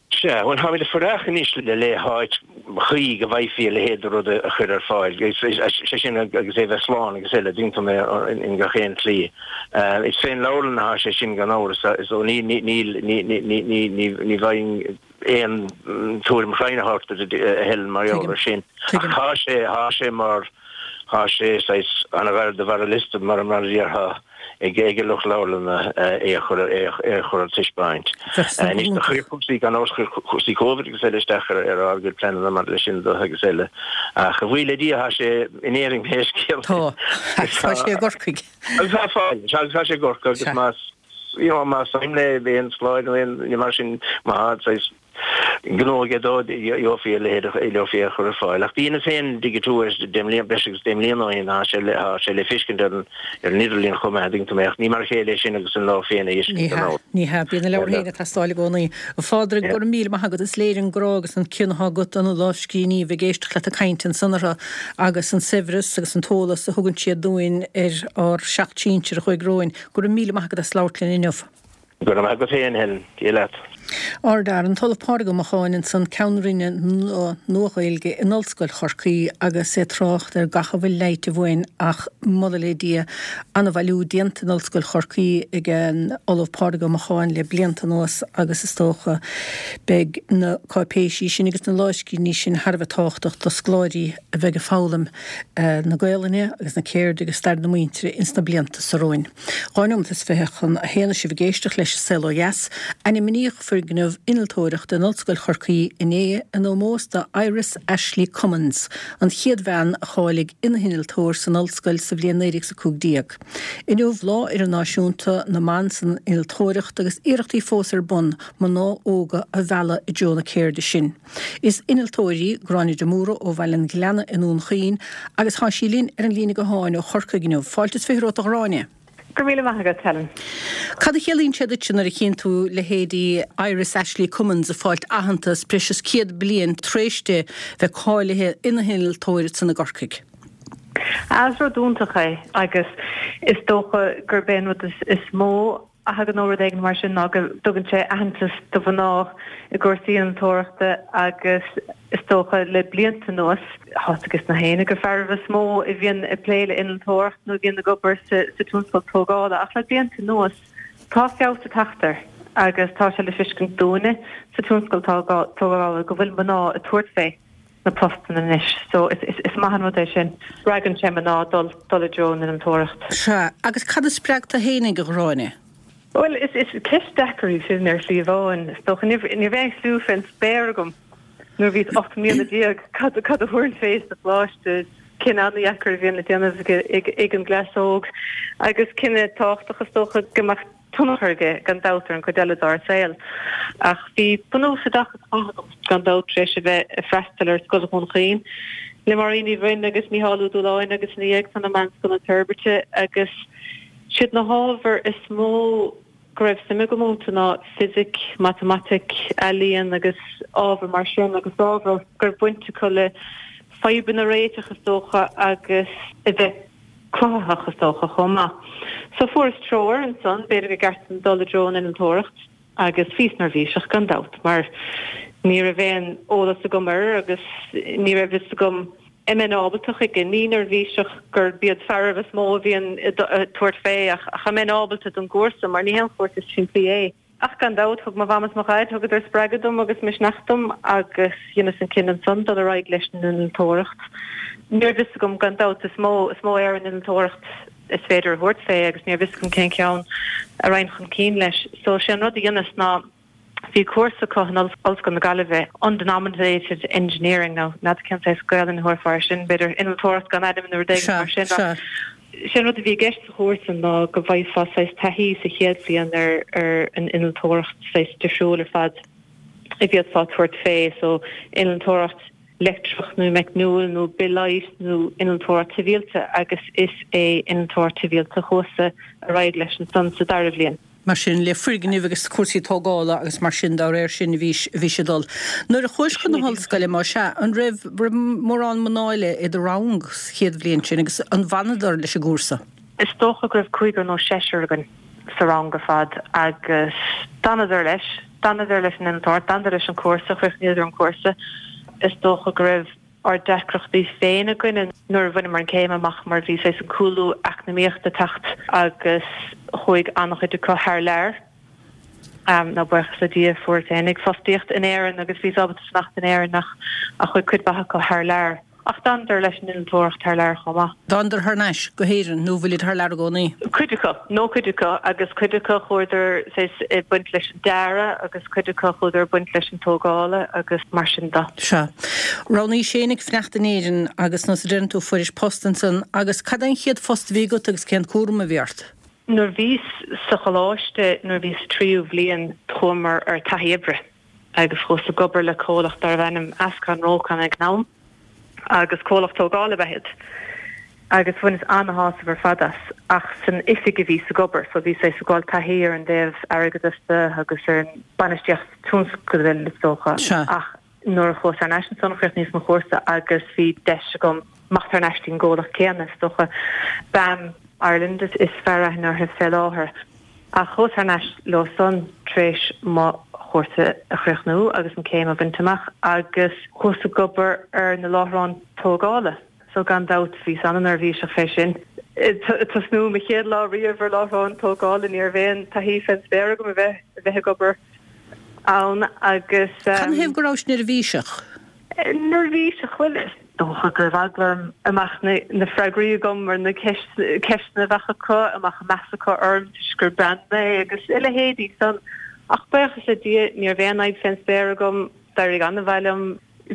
Sea, bhuel, táimid ag fuireach anois le le háit chuí go bhfaighfí a leithéid de rud a chur ar fáil, sé sin agus é bheith slán agus eile, tuigeann tú mé in gach aon tslí. Is fén leabharlann atá sé sin gan amhras, so ní ní ní ní ní ní ní ní bhfaighinn aon tuairim chruinn a thabhairt duit a Helen mar gheall air sin. Ach tá sé, tá sé mar, tá sé saghas an-ghar do bharr an liosta mar mar a déarfá ag ag an lucht leabharlanna é a chur é a chur ar taispeáint. Anois do chuir cúrsaí gan amhras chuir cúrsaí Covid agus eile isteach ar ar ár gcuid pleananna maidir leis sin do agus eile. Ach a bhuí le Dia tá sé in Éirinn pé scéal é. Tá. Tá sé i gCorcaigh. Agus tá fáil, tá sé i gCorcaigh agus más you know, más suim le aon scoláire nó aon ní mar sin má tá saghas gnó aige dó gheofaí a leithéid a gheofaí a chur ar fáil. Ach dheineas féin digitiú air deich mbliana, breis agus deich mbliana ó shin, tá sé le, tá sé le feiscint ar an, ar an idirlíon chomh maith, an dtuigeann tú mé, ach ní mar a chéile é sin agus an leabhar féin a Ní fheiscint gan hea, amhras. ní hea. Bíonn na leabhair féin ag teastáil i gcónaí. A Phádraig, go raibh míle maith agat. Is léir an grá agus an cion atá agat do na lámhscríbhinní a bheith ag éisteacht leat ag caint ansan orthu agus an saibhreas agus an t-eolas a thugann siad dúinn ar ár seacht sinsir a chuaigh romhainn. Go raibh míle maith agat as labhairt linn inniu. Go raibh maith agat féin, Helen. Dia leat. Ard-Fhear, an tOllamh Pádraig Ó Macháin ansan, Ceann Roinne na Nua-Ghaeilge in Ollscoil Chorcaí agus é ag trácht ar gach a bhfuil leighte uainn ach moladh le Dia, an-bhailiú déanta in Ollscoil Chorcaí ag an Ollamh Pádraig Ó Macháin le blianta anuas agus is dócha beidh na cáipéisí sin agus na lámhscríbhinní sin thar a bheith tábhachtach do scoláirí a bheidh ag foghlaim na Gaolainne agus na ceirde agus stair na muintire ins na blianta so romhainn. 2 nóimeat is 20 chun a haon is sibh ag éisteacht leis An Saol Ó Dheas. Ainmníodh foirgneamh innealtóireachta in Ollscoil Chorcaí inné in ómós do Iris Ashley Cummins, an chéad bhean a cháiligh ina hinnealtóir san ollscoil sa bhliain 1915. Inniu Lá Idirnáisiúnta na mBan san Innealtóireacht agus iarrachtaí fós ar bun mná óga a mhealladh i dtreo na ceirde sin. Is innealtóir í Gráinne de Mórdha ó Bhaile an Ghleanna i nDún Chaoin agus tá sí linn ar an líne gutháin ó Chorcaigh inniu. Fáilte is 20 romhat a Ghráinne. Go raibh míle maith agat, Helen. Cad a chiallaíonn sé duitse nuair a chíonn tú leithéidí Iris Ashley Cummins ag fáilt aitheantas breis is 100 bliain tar éis di bheith cáilithe ina hinnealtóir ansan i gCorcaigh? Is rud iontach é agus is dócha gurb é an rud is mó a thagann ó rud éigin mar sin ná go dtugann sé aitheantas do mhná i gcúrsaí innealtóireachta agus is dócha le blianta anuas, tá a fhios ages na héinne gur fearaibh is mó a bhíonn ag plé le innealtóireacht nó a bhíonn ag obair sa tionscal tógála ach le blianta anuas tá feabhas ag teacht air agus tá sé le feiscint dúinne sa tionscal tógála go bhfuil mná ag tabhairt fé. na postanna anois. So is is maith an rud é sin. Spreagann sé mná dul dul i dtreo an innealtóireacht. Sea, agus cad a spreag tú fhéinig, a Ghráinne? Bhuel, is is ceist deacair í sin ar shlí amháin. Is dócha ní ní raibh aon chliú fén spéir agam nuair a bhíos 18 mbliana cad cad a thabharfainn fé sa choláiste. Cinneadh an-dheacair a bhíonn le déanamh ag ag ag an gcleas óg agus cinneadh tábhachtach is dócha go mbeadh tionchar aige gan dabht ar an gcuid eile dár saol. Ach bhí bunús oideachais maith agam gan dabht tar éis a bheith ag freastal ar Scoil Dhún Chaoin le Máirín Ní Bhroin agus Mícheál Ó Dúláin agus ina dhiaidh san i Meánscoil na Toirbhirte agus siad na hábhair is mó go raibh suim agam iontu ná fisic, matamaitic, ealaíon agus ábhair mar sin agus ábhair go raibh baint acu le fadhbanna a réiteach is dócha agus a bheith cruthaitheach is dócha chomh maith. So fuaireas treoir ansan, b'fhéidir gur ceart dom dul i dtreo an innealtóireacht agus bhíos neirbhíseach gan dabht mar ní raibh aon eolas agam air agus ní raibh fhios agam an mbeinn ábalta chuige. Ní neirbhíseach gurb iad fearaibh is mó a bhíonn ag tabhairt fé ach an mbeinn ábalta don gcúrsa mar ní haon chúrsa simplí é. Ach gan dabht, thug mo mham is mo dhaid, thugadar spreagadh dom agus misneach dom agus dheineas an cinneadh ansan dul ar aghaidh leis an innealtóireacht. Ní raibh fhios agam, gan dabht, is mó, is mó ar an innealtóireacht is féidir a thabhairt fé agus ní raibh fhios agam cén ceann a raghainn chun cinn leis. So sé an rud a dheineas ná bhí cúrsa acu in Ollscoil na Gaillimhe, Undenominated Engineering, nó n'fheadar cén saghas Gaelainn a thabharfá air sin, b'fhéidir innealtóireacht gan ainm nó rud éigin mar sin. Sea, sea. Sé an rud a bhí i gceist sa chúrsa ná go bhfaighfeá saghas taithí sa chéad bhliain ar ar an innealtóireacht saghas difriúil ar fad a bhféadfá tabhairt fé, so innealtóireacht leictreach nó meicniúil nó bithleighis nó innealtóireacht shibhialta agus is é innealtóireacht shibhialta a chuas-sa ar aghaidh leis ansan sa dara bhliain. Mar sin, le foirgnimh agus cúrsaí tógála agus mar sin dá réir sin a bhí, a bhís ag dul. Nuair a chuais chun na hollscoile, más ea, an raibh, raibh mórán mná eile i do rang sa chéad bhliain sin agus an bhfanadar leis an gcúrsa? Is dócha go raibh cúigear nó seisear againn. sa rang ar fad agus d'fhanadar leis, d'fhanadar leis an innealtóireacht, d'fhanadar leis an cúrsa, chríochnaíodar an cúrsa. Is dócha go raibh ár deacrachtaí féin againne nuair a bhaineamar an céim amach mar bhí saghas an cúlú eacnamaíochta ag teacht agus chuaigh an-chuid acu thar lear. Now buíochas le Dia fuaireas féinig fostaíocht in Éirinn agus bhíos ábalta fanacht in Éirinn ach chuaigh cuid mhaith acu thar lear. Ach d'fhanadar leis an innealtóireacht thar lear chomh maith. D'fhanadar thar n-ais go hÉirinn nó bhfuilid thar lear i gcónaí? Cuid acu. No cuid acu agus cuid acu chuadar saghas ag baint leis an dearadh agus cuid acu chuadar ag baint leis an tógála agus mar sin de. Sea. Roghnaís fhéinig fanacht in Éirinn agus nós a deireann tú fuairis post ansan agus cad é an chéad phost a bhí agat agus cén cúram a bhí ort? Nuair bhíos sa choláiste, nuair bhíos sa tríú bhliain, chuamar ar taithí oibre agus chuas ag obair le comhlacht darbh ainm Ascon Rocon ag an am agus comhlacht tógála ab ea iad agus bhaineas ana-shásamh ar fad as ach san oifig a bhíos ag obair so bhíos ag fáil taithí ar an dtaobh airgeadais de agus ar an bainistíocht tionscadail is dócha ach Nuair a chuas thar n-ais ansan chríochnaíos mo chúrsa agus bhí deis agam imeacht thar n-ais dtí'n gcomhlacht céanna, is dócha. BAM Ireland is fearr aithne orthu fé láthair. Ach chuas thar n-ais leo san tar éis mo chúrsa a chríochnú agus an céim a bhaint amach agus chuas ag obair ar na láithreáin tógála. So gan dabht bhíos an-neirbhíseach fé sin. Tosnú mo chéad lá riamh ar láithreán tógála ní raibh aon taithí fén spéir agam a bheith a bheith ag obair ann agus. Canathaobh go rabhais neirbhíseach? Neirbhíseach? Bhuel, is dócha go raibh eagla orm an mbeadh na freagraí agam ar na ceisteanna a bheadh acu, an mbeadh meas acu orm toisc gur bean mé agus a leithéidí san. Ach buíochas le Dia ní raibh aon fhadhb fén spéir agam, d'éirigh an-mhaith liom.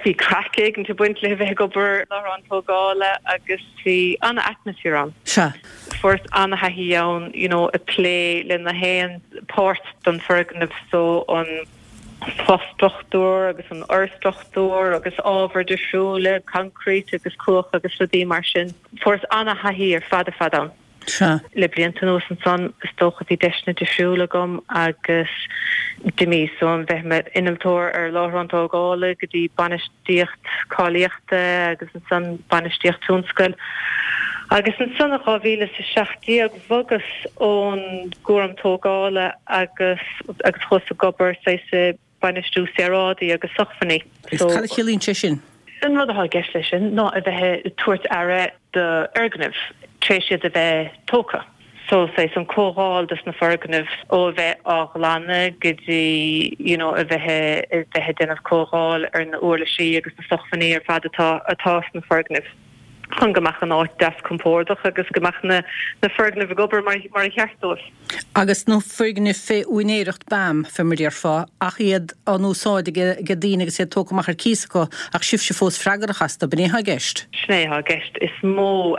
Bhí craic éigint ag baint le bheith ag obair ar láithreán tógála agus bhí an-atmaisféar ann. Sea. Fuaireas an-thaithí ann you know ag plé le na haon páirt den foirgneamh so an fo-struchtúr agus an fhorstruchtúr agus ábhair difriúla, concrete agus cuach agus rudaí mar sin. Fuaireas an-thaithí ar fad ar fad ann. Sea. Le blianta anuas ansan, is dócha, bhí deiseanna difriúla agam agus d'imíos ó bheith i m'innealtóir ar láithreán tógála go dtí bainistíocht cáilíochta agus ansan bainistíocht tionscail. Agus ansan in 2017 bhogas ón gcúram tógála agus agus chuas ag obair saghas i bainistiú saoráidí agus sócmhainní. Agus cad a chiallaíonn sé sin? An rud atá i gceist leis sin ná a bheith ag tabhairt aire d'fhoirgnimh tar éis iad a bheith tógtha. So saghas an chothabháil dos na foirgnimh ó a bheith á ghlanadh go dtí you know a bheith a bheith ag déanamh cothabháil ar na uirlisí agus na sócmhainní ar fad atá atá sna foirgnimh. chun go mbeadh an áit deas compordach agus go mbeadh na na foirgnimh ag obair mar mar a cheart dóibh. Agus na foirgnimh fé úinéireacht BAM, fé mar a déarfá, ach iad á n-úsáid ag ag daoine agus iad tógtha amach ar cíos acu, ach sibhse fós freagrach astu, b'in é atá i gceist? Sin é atá i gceist. Is mó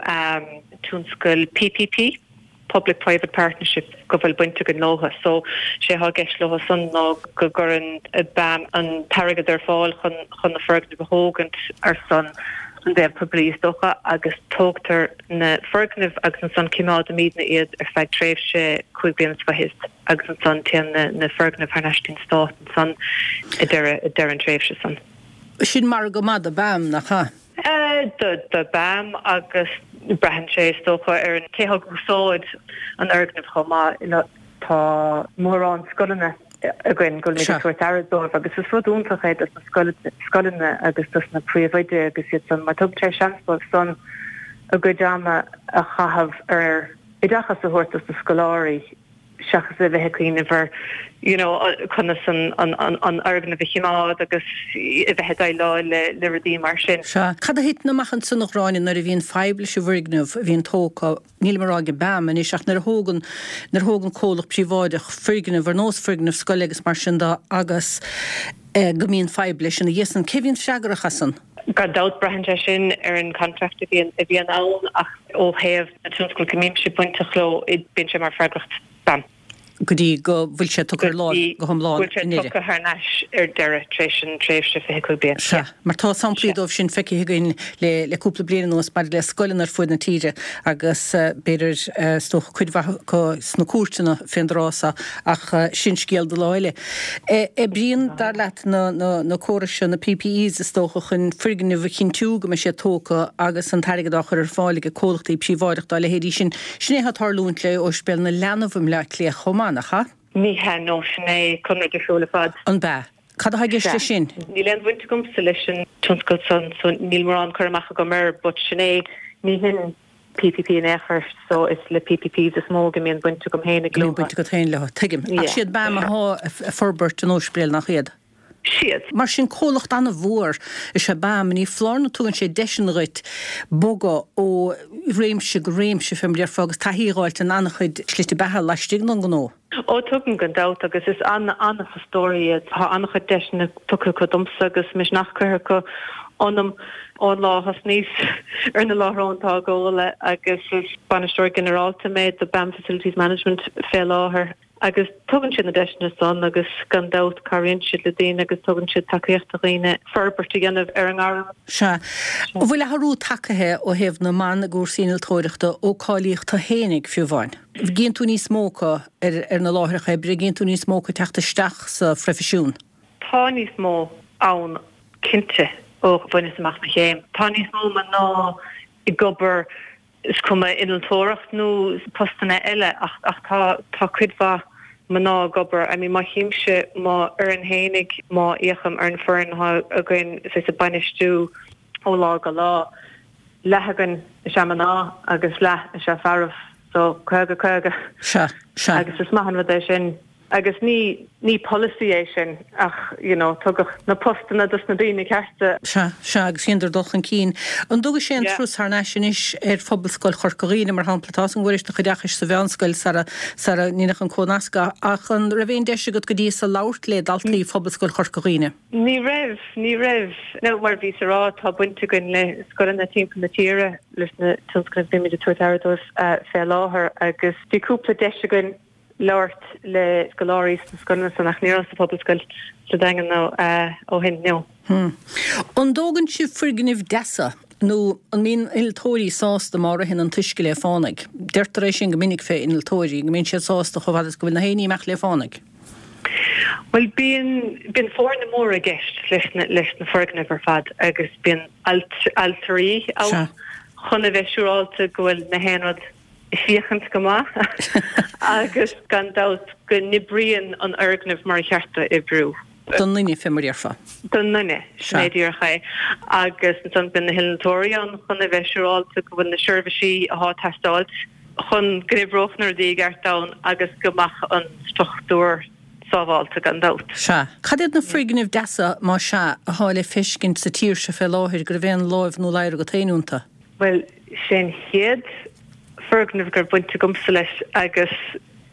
tionscal PPP. Public Private Partnership go bhfuil baint againn leotha. So, sé atá i gceist leo san ná go gcuireann BAM an t-airgead ar fáil chun chun na foirgnimh a thógaint ar son an dtaobh poiblí is dócha agus tógtar na foirgnimh agus ansan cimeádaimídne iad ar feadh tréimhse 5 bliana is fichead agus ansan téann na na foirgnimh thar n-ais dtí'n stát ansan ag deireadh ag deireadh an tréimhse san. Sin margadh maith do BAM, nach ea? Do BAM agus braitheann sé is dócha ar an cé atá ag úsáid an fhoirgnimh chomh maith. Tá mórán scoileanna againn go bhfuilimid ag tabhairt aire dóibh agus is rud iontach é dos na scoileanna agus dos na príomhoidí agus iad san mar tugann sé seans dóibh san a gcuid ama a chaitheamh ar oideachas a thabhairt dos na scoláirí. seachas a bheith ag cuimhneamh ar you know conas an an fhoirgneamh a chimeád agus a bheith ag déileáil le le rudaí mar sin. Sea. Cad a thiteann amach ansan a Ghráinne nuair a bhíonn fadhb leis an bhfoirgneamh a bhíonn tógtha, nílim ag rá ag BAM anois ach nuair a thógann nuair a thógann comhlacht príobháideach foirgneamh ar nós foirgneamh scoile agus mar sin de agus go mbíonn fadhb leis ina dhiaidh san, cé a bhíonn freagrach as san? Gan dabht braitheann sé sin ar an contract a bhíonn a bhíonn ann ach ó thaobh na tionscal go mbímse bainteach leo bíonn sé mar freagracht BAM. Go dtí go bhfuil sé tugtha ar láimh go hiomlán i ndeireadh. Go bhfuil sé tugtha thar n-ais ar deireadh tar éis an tréimhse 25 bliain. Sea, mar tá samplaí dóibh sin feicthe againn le le cúpla bliain anuas maidir le scoileanna ar fuaid na tíre agus b'fhéidir is dócha cuid mhaith acu sna cúirteanna fén dtráth so ach sin scéal do lá eile. Oibríonn, dar leat, na na córais seo, na PPEs is dócha, chun foirgnimh a chinntiú go mbeidh siad tógtha agus an t-airgead á chur ar fáil ag comhlachtaí príobháideach dá leithéidí sin. Sin é atá ag tarlúint le Ospidéal na Leanbh i mBleá Cliath chomh maith, nach ea? Ní hea, no, sin é conradh difriúil ar fad. An b'ea? Cad atá i gceist leis sin? Níl aon bhaint agamsa leis an tionscal san so níl mórán cur amach agam air but sin é, ní hin PPP in aon chor so is le PPPs is mó go mbíonn baint agam féin Go mbíonn baint agat féin leo, tuigim. Ach siad BAM atá ag forbairt an ospidéil, nach iad? Siad. Mar sin, comhlacht an-mhór is ea BAM. Ní foláir nó tugann sé deiseanna dhuit bogadh ó réimse go réimse, fé mar a déarfá, agus taithí a dh'fháilt in an-chuid slite beatha laistigh den ghnó. Ó, tugann, gan dabht, agus is an-an-fhostóirí iad. Tá an-chuid deiseanna tugtha acu domsa agus misneach curtha acu ionam ón lá a thosnaíos ar na láithreáin tógála agus is Bainisteoir Ginearálta mé do BAM Facilities Management fé láthair. Agus tugann siad na deiseanna san agus gan dabht cabhraíonn siad le daoine agus tugann siad tacaíocht do dhaoine forbairt a dhéanamh ar a ngairm. Sea. An bhfuil athrú tagaithe ó thaobh na mban i gcúrsaí innealtóireachta ó cáilíodh tú fhéinig, fiú amháin? Gíonn tú níos mó acu ar na láithreacha oibre, gíonn tú níos mó acu ag teacht isteach sa phroifisiún? Tá níos mó ann cinnte ó bhaineas amach mo chéim. Tá níos mó mná ag obair is cuma innealtóireacht nó postanna eile ach ach tá tá cuid mhaith mná ag obair. I mean má chímse mo fhoireann fhéinig, má fhéachaim ar an foireann atá againn saghas ag bainistiú ó lá go lá, leath againn is ea mná agus leath is ea fearaibh, so 50 50. Sea, sea. Agus is maith an rud é sin. Agus ní, ní polasaí é sin ach, you know, tugadh na postanna dos na daoine cearta. Sea, sea, agus dheineadar dul chun cinn. An dtugais aon turas thar n-ais anois ar Phobalscoil Chorca Dhuibhne, mar shampla? Tá 'fhios a'm go bhfuairis do chuid oideachais sa mheánscoil sara, sara ndeineadh an cónascadh, ach an raibh aon deis agat go dtí so labhairt le daltaí Phobalscoil Chorca Dhuibhne? Ní raibh, ní raibh. Now, mar a bhíos a rá, tá baint againn le scoileanna timpeall na tíre leis na tionscnaimh a bímid ag tabhairt aire dóibh fé láthair agus bhí cúpla deis againn labhairt le scoláirí sna scoileanna san ach ní raibh sa Phobalscoil sa Daingean nó ó shin, no. An dtógann sibh foirgnimh deasa nó an mbíonn innealtóirí sásta má ritheann an t-uisce le fánaidh? Deirtear é sin go minic fé innealtóirí, go mbíonn siad sásta chomh fada is go bhfuil na haon ní ag imeacht le fánaidh. Bhuel, bíonn, bíonn foirne móra i gceist leis na, leis na foirgnimh ar fad agus bíonn ailtirí ann chun a bheith siúráilte go bhfuil na haon rud ag féachaint go maith agus gan dabht go n-oibríonn an fhoirgneamh mar a cheart dó oibriú. Don nduine, fé mar a déarfá. Don nduine, sin é díreach é. Agus ansan bíonn na hinnealtóirí ann chun a bheith siúráilte go bhfuil na seirbhísí atá ag teastáilt chun go n-oibreodh na rudaí i gceart ann agus go mbeadh an struchtúr sábháilte gan dabht. Sea. Cad iad na foirgnimh deasa, más ea, athá le feiscint sa tír seo fé láthair go raibh aon láimh nó ladhar agat féin iontu? Bhuel, sé an chéad foirgneamh go raibh baint agamsa leis agus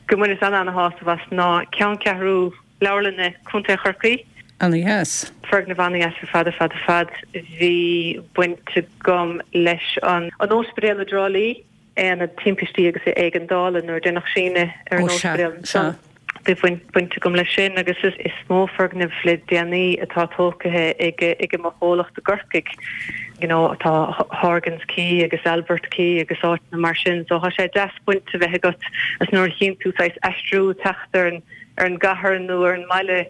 go mbaineas an-ana-shásamh as ná ceanncheathrú Leabharlainne Contae Chorcaí. Ana-dheas. Foirgneamh ana-dheas ar fad, ar fad, ar fad. Bhí baint agam leis an Ospidéal i dTrá Lí. Aonad Timpistí agus Éigeandála nuair a deineadh síneadh ar an ospidéal ansan. Bhí baint agam leis sin agus is mó foirgneamh le déanaí atá tógtha ag mo chomhlacht i gCorcaigh, you know tá Horgan's Quay agus Albert Quay agus áiteanna mar sin so tá sé deas baint a bheith agat agus nuair a chíonn tú saghas aistriú teacht ar an ar an gcathair nó ar an mbaile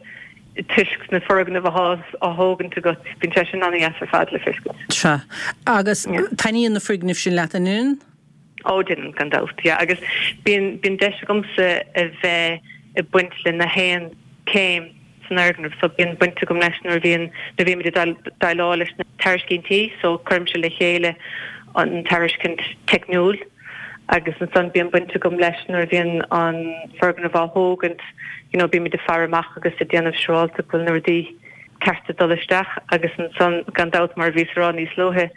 toisc na foirgnimh athá á thógaint agat, bíonn sé sin ana-dheas ar fad le feiscint. Sea. Agus taitníonn na foirgnimh sin leat, an ndeineann? Ó, deineann, gan dabht, yeah. Agus bíonn, bíonn deis agamsa a bheith ag baint le na haon céim san fhoirgneamh, so bíonn baint agam leis nuair a bhíonn, nuair a bhímid ag déileáil leis na tairiscintí, so cuirimse le chéile an tairiscint teicniúil agus ansan bíonn baint agam leis nuair a bhíonn an foirgneamh á thógaint, you know bímid ag faire amach agus ag déanamh siúráilte go bhfuil na rudaí cearta ag dul isteach agus ansan gan dabht mar a bhíos a rá níos luaithe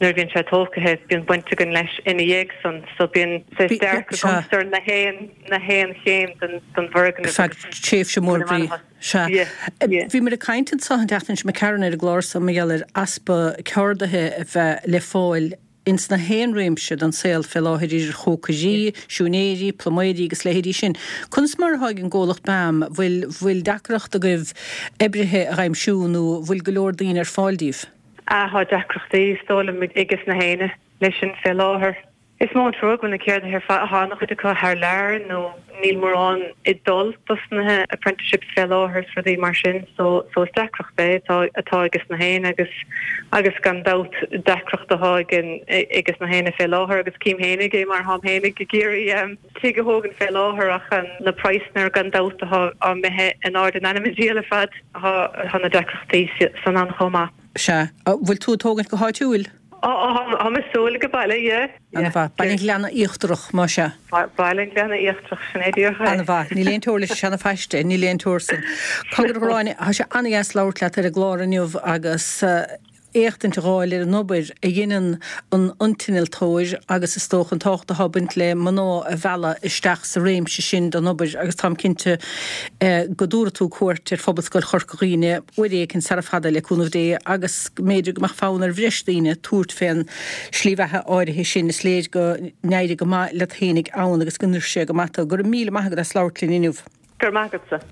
nuair a bhíonn sé tógtha bíonn baint againn leis ina dhiaidh san so bíonn saghas dearcadh agamsa ar na haon na haon chéim den den bhfoirgneamh Feadh tréimhse mór brí. Sea. Bhíomar ag caint anso an tseachtain seo imigh tharainn ar an gclár so mar gheall ar easpa ceardaithe a bheith le fáil. ins na haon réimse den saol fé láthair, idir chócairí, siúinéirí, pluiméirí agus leithéidí sin. Conas mar atá ag an gcomhlacht BAM, bhfuil, bhfuil deacracht agaibh oibrithe a dh'aimsiú nó bhfuil go leor daoine ar fáil díbh? Ah, tá deacrachtaí, is dóigh liom, ages na héinne leis sin fé láthair. Is mó an trua go bhfuil na ceardaithe ar fad, tá an-chuid acu thar lear nó níl mórán ag dul dos na apprenticeships fé láthair is rudaí mar sin so so is deacracht é atá atá ages na héinne agus agus gan dabht deacracht atá ag ages na héinne fé láthair agus cím fhéinig é mar tháim fhéinig ag iarraidh tigh a thógaint fé láthair ach na praghsanna gan dabht atá imithe in airde in ainm an diabhail ar fad tá na deacrachtaí san ann chomh maith. Sea. Bhfuil tú ag tógaint go háitiúil? Táim ag súil ag baile, yeah. Ana-mhaith. Baile an Ghleanna Íochtarach, más ea. Baile an Ghleanna Íochtarach, sin é díreach é. Ana-mhaith. Níl aon teora leis an seana-phaiste, níl aon teora san. Cogar a Ghráinne, tá sé ana-dheas labhairt leat ar an gclár inniu agus éachtaint a dh'fháil ar an obair a dheineann an t-innealtóir agus is dócha an tábhacht atá ag baint le mná a mhealladh isteach sa réimse sin den obair agus táim cinnte go dtabharfaidh tú cuairt ar Phobalscoil Chorca Dhuibhne uair éicint sara fada, le cúnamh Dé, agus go mb'fhéidir go mbeadh fonn ar bhreis daoine tabhairt fén slí bheatha áirithe sin. Is léir go n-éirigh go maith leat fhéinig ann agus go n-oir sé go maith tú. Go raibh míle maith agat as labhairt linn inniu. Go raibh maith agatsa.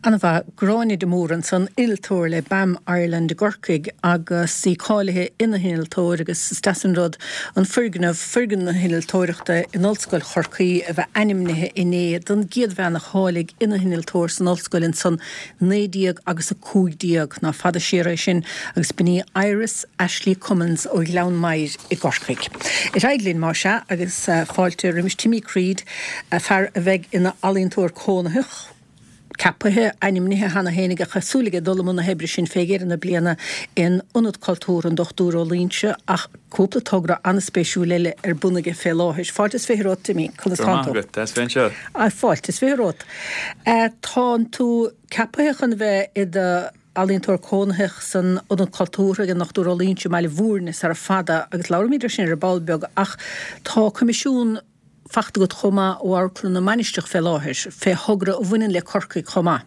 Ana-mhaith. Gráinne de Mórdha ansan, innealtóir le BAM Ireland i gCorcaigh agus í cáilithe ina hinnealtóir agus is deas an rud an foirgneamh, foirgneamh na hinnealtóireachta in Ollscoil Chorcaí a bheith ainmnithe inné don gcéad bhean a cháiligh ina hinnealtóir san ollscoil ansan 19 agus 15. Ná fada siar é sin agus b'in í Iris Ashley Cummins ó Ghleann Maghair i gCorcaigh. Ar aghaidh linn, más ea, agus fáilte roimis Timmy Creed, fear a bheidh ina ealaíontóir cónaitheach, ceapaithe, ainmnithe cheana féin aige, tá súil aige dul i mbun na hoibre sin fé dheireadh na bliana in Ionad Cultúrtha an Dr Ó Loingsigh ach cúpla togra an-spéisiúil eile ar bun aige fé láthair. Fáilte is 20 romhat, Timmy. Conas tánn tú? Go raibh maith agat, deas bheith anseo. Fáilte is 20 romhat. Tánn tú ceapaithe chun a bheith i do ealaíontóir cónaitheach san Ionad Cultúrtha ag an Dr Ó Loingsigh i mBaile Bhúirne sara fada agus labhróimid ar sin ar ball beag ach tá coimisiún fachta agat chomh maith ó Amharclann na Mainistreach fé láthair, fé thogra a bhaineann le Corcaigh chomh maith.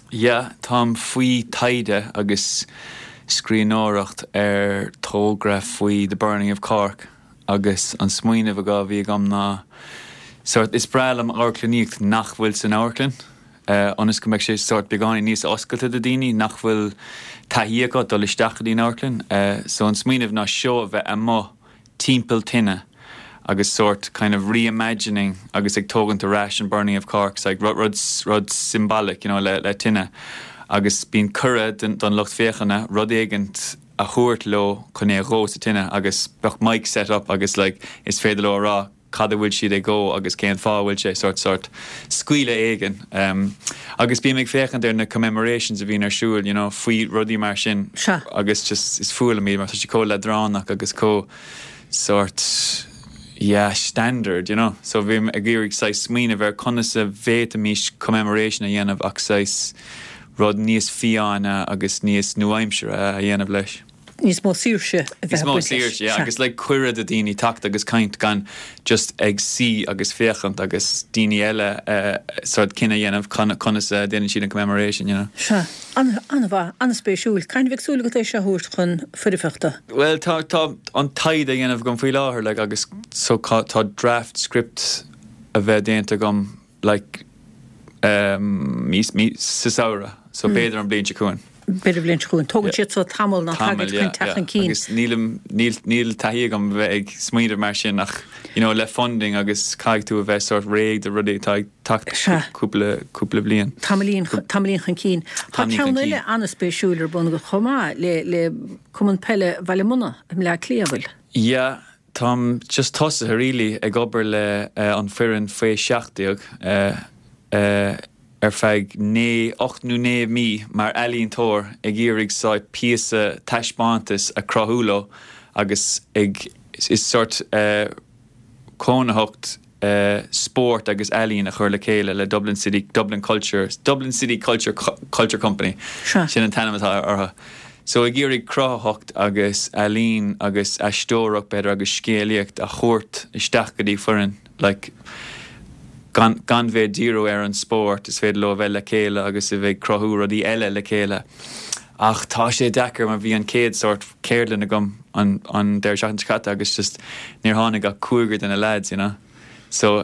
Yeah, táim faoi taighde agus scríbhneoireacht ar togra faoi The Burning of Cork agus an smaoineamh a bhí agam ná sort is breá liom amharclannaíocht nach bhfuil san amharclann ionas go mbeidh sé sort beagáinín níos oscailte do daoine nach bhfuil taithí acu dul isteach go dtí an amharclann. So an smaoineamh ná seó a bheith amuigh timpeall tine agus sort kind of reimagining agus ag tógaint ar ais an Burning of Cork, it's like rud rud rud symbolic you know le le tine agus bíonn cuireadh don don lucht féachana rud éigint a thabhairt leo chun é a dhó sa tine agus bheadh mic set up agus like is féidir leo a rá cad a bhfuil siad ag dó agus cén fáth a bhfuil sé sort sort scaoileadh éigin agus bím ag féachaint ar na commemorations a bhíonn ar siúl you know faoi rudaí mar sin Sea. agus just is fuath liom iad mar tá siad chomh leadránach agus chomh sort yeah standard you know so bím ag iarraidh saghas smaoineamh ar conas a bhféadfaimis commemoration a dhéanamh ach saghas rud níos fiáine agus níos nua-aimseartha a dhéanamh leis. níos mó saoirse a bheith ag baint leis. Níos mó saoirse, yeah, agus like cuireadh do daoine teacht agus caint gan just ag suí agus féachaint agus daoine eile sort cinneadh a dhéanamh conas a déanann siad an commemoration, you know. Sea, an-mhaith, an-spéisiúil. Cathain a bheidh súil agat é seo a thabhairt chun foirfeachta? Bhuel, tá, tá an taighde á dhéanamh agam faoi láthair, like, agus so tá draft script a bheith déanta agam like mí sa samhradh so b'fhéidir an bhliain seo chugainn. B'fhéidir an bhliain seo chugainn. Tógann siad so tamall ná tagaid chun teacht chun cinn. Agus nílim, níl, níl taithí agam a bheith ag smaoineamh mar sin ach you know le funding agus caithfidh tú a bheith sort réidh do rudaí atá ag teacht cúpla, cúpla bliain. Tamaillín, tamaillín chun cinn. Tá ceann eile an-spéisiúil ar bun agat chomh maith le, le Cumann Peile Bhaile Munna i mBleá Cliath, an bhfuil? Yeah, Táim just tosaithe really ag obair le an foireann faoi 17 ar feadh naoi, 8 nó 9 mí mar ealaíontóir ag iarraidh saghas píosa taispeántas a cruthú leo agus ag is sort cónaitheacht spórt agus ealaín a chur le chéile le Dublin City, Dublin Culture, Dublin City Culture Culture Company, sin an t-ainm atá orthu. So ag iarraidh cruthaitheacht agus ealaín agus aisteoireacht b'fhéidir agus scéalaíocht a thabhairt isteach go dtí foireann like gan gan bheith ag díriú ar an spórt, is féidir leo a bheith le chéile agus a bheith ag cruthú rudaí eile le chéile. Ach tá sé deacair mar bhí an chéad sórt ceardlann agam an an deireadh seachtaine seo caite agus just níor tháinig ach cúigear de na lads, you know. So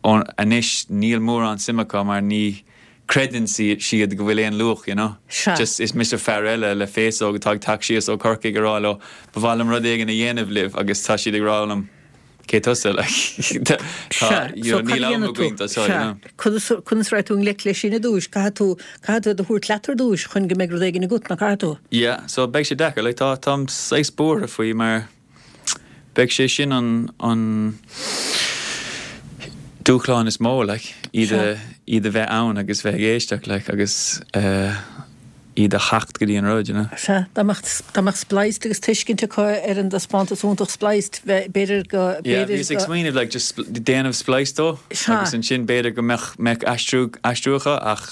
anois níl mórán suim acu mar ní creideann siad go bhfuil aon luach, you know. Sea. Just is mise fear eile le féasóg atá ag teacht síos ó Chorcaigh ag rá leo ba mhaith liom rud éigin a dhéanamh libh agus tá siad ag rá liom cé tusa like tá Sea, you so know cad a níl am dhéanfaidh tú? againn do seo, you Sea, know. conas conas a raghaidh tú i ngleic leis sin ar dtúis? Caithfidh tú caithfidh tú iad a thabhairt leat ar dtúis chun go mbeidh rud éigin agat, nach gcaithfidh tú? Yeah, so beidh sé deacair, like tá táim saghas buartha faoi mar beidh sé sin an an dúshlán is mó like iad a iad a bheith ann agus bheith ag éisteacht like agus eh iad a theacht go dtí an rud, you know. Sea, dá mbeadh, dá mbeadh Spliced agus tuiscint acu ar an dtaispeántas iontach Spliced, bheith, b'fhéidir go, Yeah, b'fhéidir bhíos ag go. smaoineamh like just déanamh Spliced dó Sea. agus ansin b'fhéidir go mbeadh, mbeadh aistriú, aistriú acu ach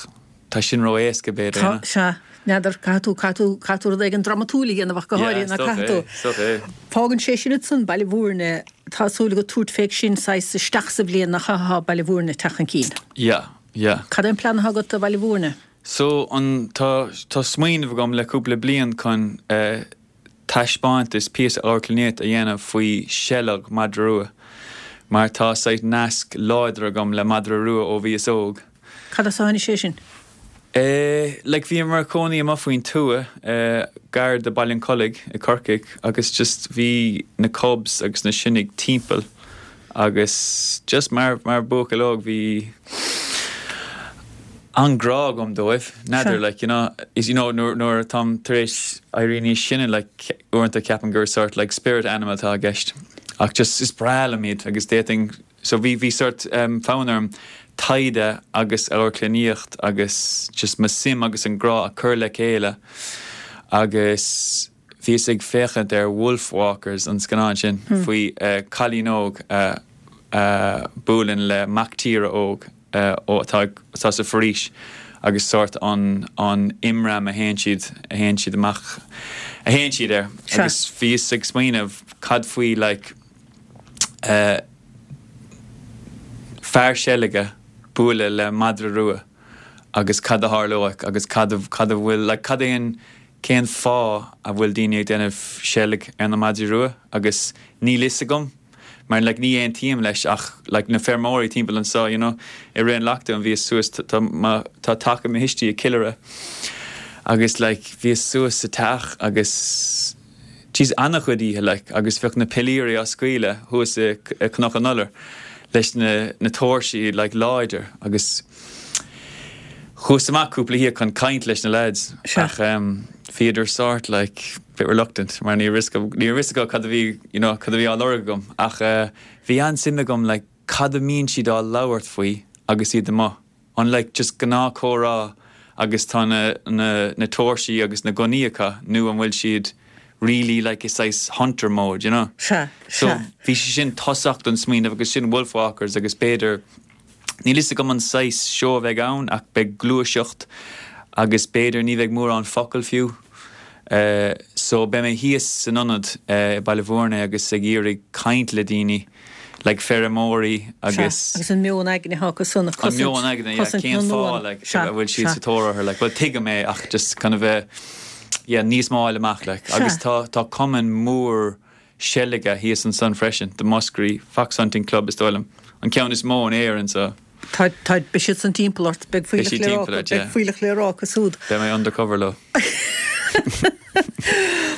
tá sin ró-éasca b'fhéidir, you Tá, know. sea, n'fheadar, caithfidh tú, caithfidh tú, caithfidh tú rud éigin dramatúil a dhéanamh ach go Yeah, háirithe, is nach dócha caithfidh é, tú? is dócha é. Fágann sé sin ansan Baile Bhúirne, tá súil agat tabhairt fé sin saghas isteach sa bhliain nach ea atá Baile Bhúirne ag teacht chun cinn. Yeah, yeah. Cad é an plean atá agat do Bhaile Bhúirne? So, an, tá, tá smaoineamh agam le cúpla bliain chun eh taispeántas, píosa amharclannaíocht a dhéanamh faoi seilg madra rua mar tá saghas nasc láidir agam le madra rua ó bhíos óg. Cad as a tháinig sé sin? Eh, like bhíomar ag cónaí amuigh faoin tuath, eh, gar do Baile an Chollaigh i Corcaigh agus just bhí na cubs agus na sionnaigh timpeall Agus just mar, mar buachaill óg bhí an-ghrá agam dóibh, n'fheadar, like, you know, is, you know, nuair, nuair atáim tar éis éirí níos sine, like, uaireanta ceapaim gur sort like spirit animal atá i gceist. Ach just is breá liom iad agus d'fhéadfainn, so bhí, bhí sort um, fonn orm taighde agus amharclannaíocht agus just mo suim agus an grá a chur le chéile agus Bhíos ag féachaint ar Wolfwalkers, an scannán sin faoi cailín óg a buaileann le mac tíre óg atá atá sa bhforaois agus sórt an an imram a théann siad a théann siad amach a théann siad air. Agus bhíos ag smaoineamh cad faoi like fear seilge bualadh le madra rua agus cad a tharlóidh agus cad a cad a bhfuil like cad é an Cén fáth a bhfuil daoine ag déanamh seilg ar na madraí rua agus níl fhios agam mar like ní aontaím leis ach like na feirmeoirí timpeall anseo you know i rith an lockdown bhíos suas tá mo tá teach ag mo thuistí i gCill Airne agus like bhíos suas sa teach agus jeez an-chuid oíche like agus bheadh na pilirí á scaoileadh thuas i Cnoc an Iolair leis na na tóirsí like láidir agus Chuas amach cúpla oíche chun caint leis na lads ach bhíodar sort like bit reluctant mar ní raibh fhios acu cad a bhí you know cad a bhí á lorg agam ach bhí an-suim agam like cad a mbíonn siad á labhairt faoi agus iad amuigh. An like just gnáth comhrá agus tá na na na tóirsí agus na gunnaí acu nó an bhfuil siad really like i saghas hunter mode you know? Sea, So sea. bhí sé sin tosach don smaoineamh agus sin Wolfwalkers agus b'fhéidir Níl fhios agam an saghas seó a bheidh ann ach beidh gluaiseacht agus b'fhéidir ní bheidh mórán focal fiú. So beidh mé thíos san ionad i Baile Bhúirne agus ag iarraidh caint le daoine, like feirmeoirí agus. Sea, agus an meon aigne atá acu san, An meon aigne, yeah, cosaint cén na fáth n-uan. like Sea, a bhfuil siad sea. sa tóir orthu, like bhuel tuigim é ach just kind of a yeah níos mó a fháil amach like Sea. agus tá tá cumann mór seilge thíos ansan freisin, The Muskerry Foxhunting Club is dóigh liom, an ceann is mó in Éirinn so. Tá, tá, beidh siad san timpeall ort, beidh Beidh fuílleach siad le rá timpeall acu, ort, beidh yeah. fuílleach le rá acu súd. Beidh mé undercover leo.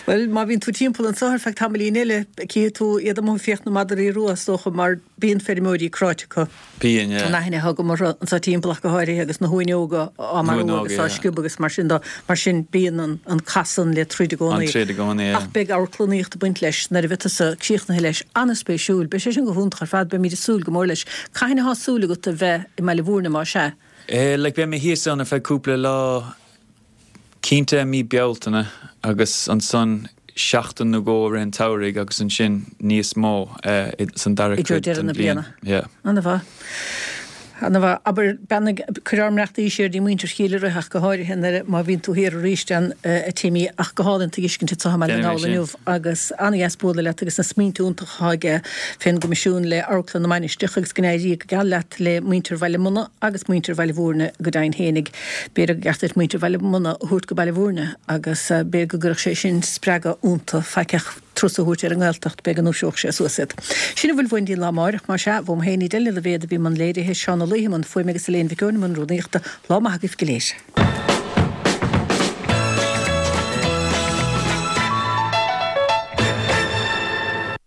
Bhuel, má bhíonn tú timpeall anso ar feadh tamaillín eile, cífidh tú iad amuigh ag fiach na madraí rua, is dócha, mar bíonn feirmeoirí cráite acu. Bíonn, yeah. An aithne atá agam orthu anseo timpeall ach go háirithe agus na huain óga á marú Huain óga, agus á yeah. sciobadh agus mar sin de. Mar sin, bíonn an, an cath san le troid i gcónaí. An troid i gcónaí, yeah. Ach beidh amharclannaíocht ag baint leis nuair a bheidh tusa críochnaithe leis. An-spéisiúil. Beidh sé sin go hiontach ar fad. Beimid ag súil go mór leis. Cathain atá súil agat a bheith i mBaile Bhúirne, má sea? Eh, like, beidh mé thíos ann ar feadh cúpla lá. Cinnte i mí Bealtaine agus ansan seachtain nó dhó i rith an tsamhraidh agus ansin níos mó san dara I dtreo cuid deireadh den na bhliain. bliana. Yeah. Ana mhaith. Ana-mhaith. Abair, beannaigh, cuir ár mbeannachtaí siar dtí muintir Chill Uirth ach go háirithe nuair a, má bhíonn tú thiar arís ann, a Timmy, ach go hálainn tuiscint anseo i mBaile na Déanfaidh mé nGall sin. inniu agus ana-dheas bualadh leat agus na smaointe iontacha atá aige fén gCoimisiún le Amharclann na Mainistreach agus go n-éirí go geal leat le muintir Bhaile Munna agus muintir Bhaile Bhúirne go deimhin fhéinig. B'fhéidir go gceart duit muintir Bhaile Munna a thabhairt go Baile Bhúirne agus b'fhéidir go gcuirfeadh sé sin spreagadh iontu, faic turas a thabhairt ar an nGaeltacht, b'fhéidir go ndúiseodh sé suas iad. Sin a bhfuil uainn dtí an lá amáireach, más ea, uaim féin, Edel Ní Loibhéad a bhí i mbun léirithe, Seán Ó Laoithe i mbun fuaime agus Elaine Mhic Eoin i mbun rúnaíochta. Lá maith agaibh go léir.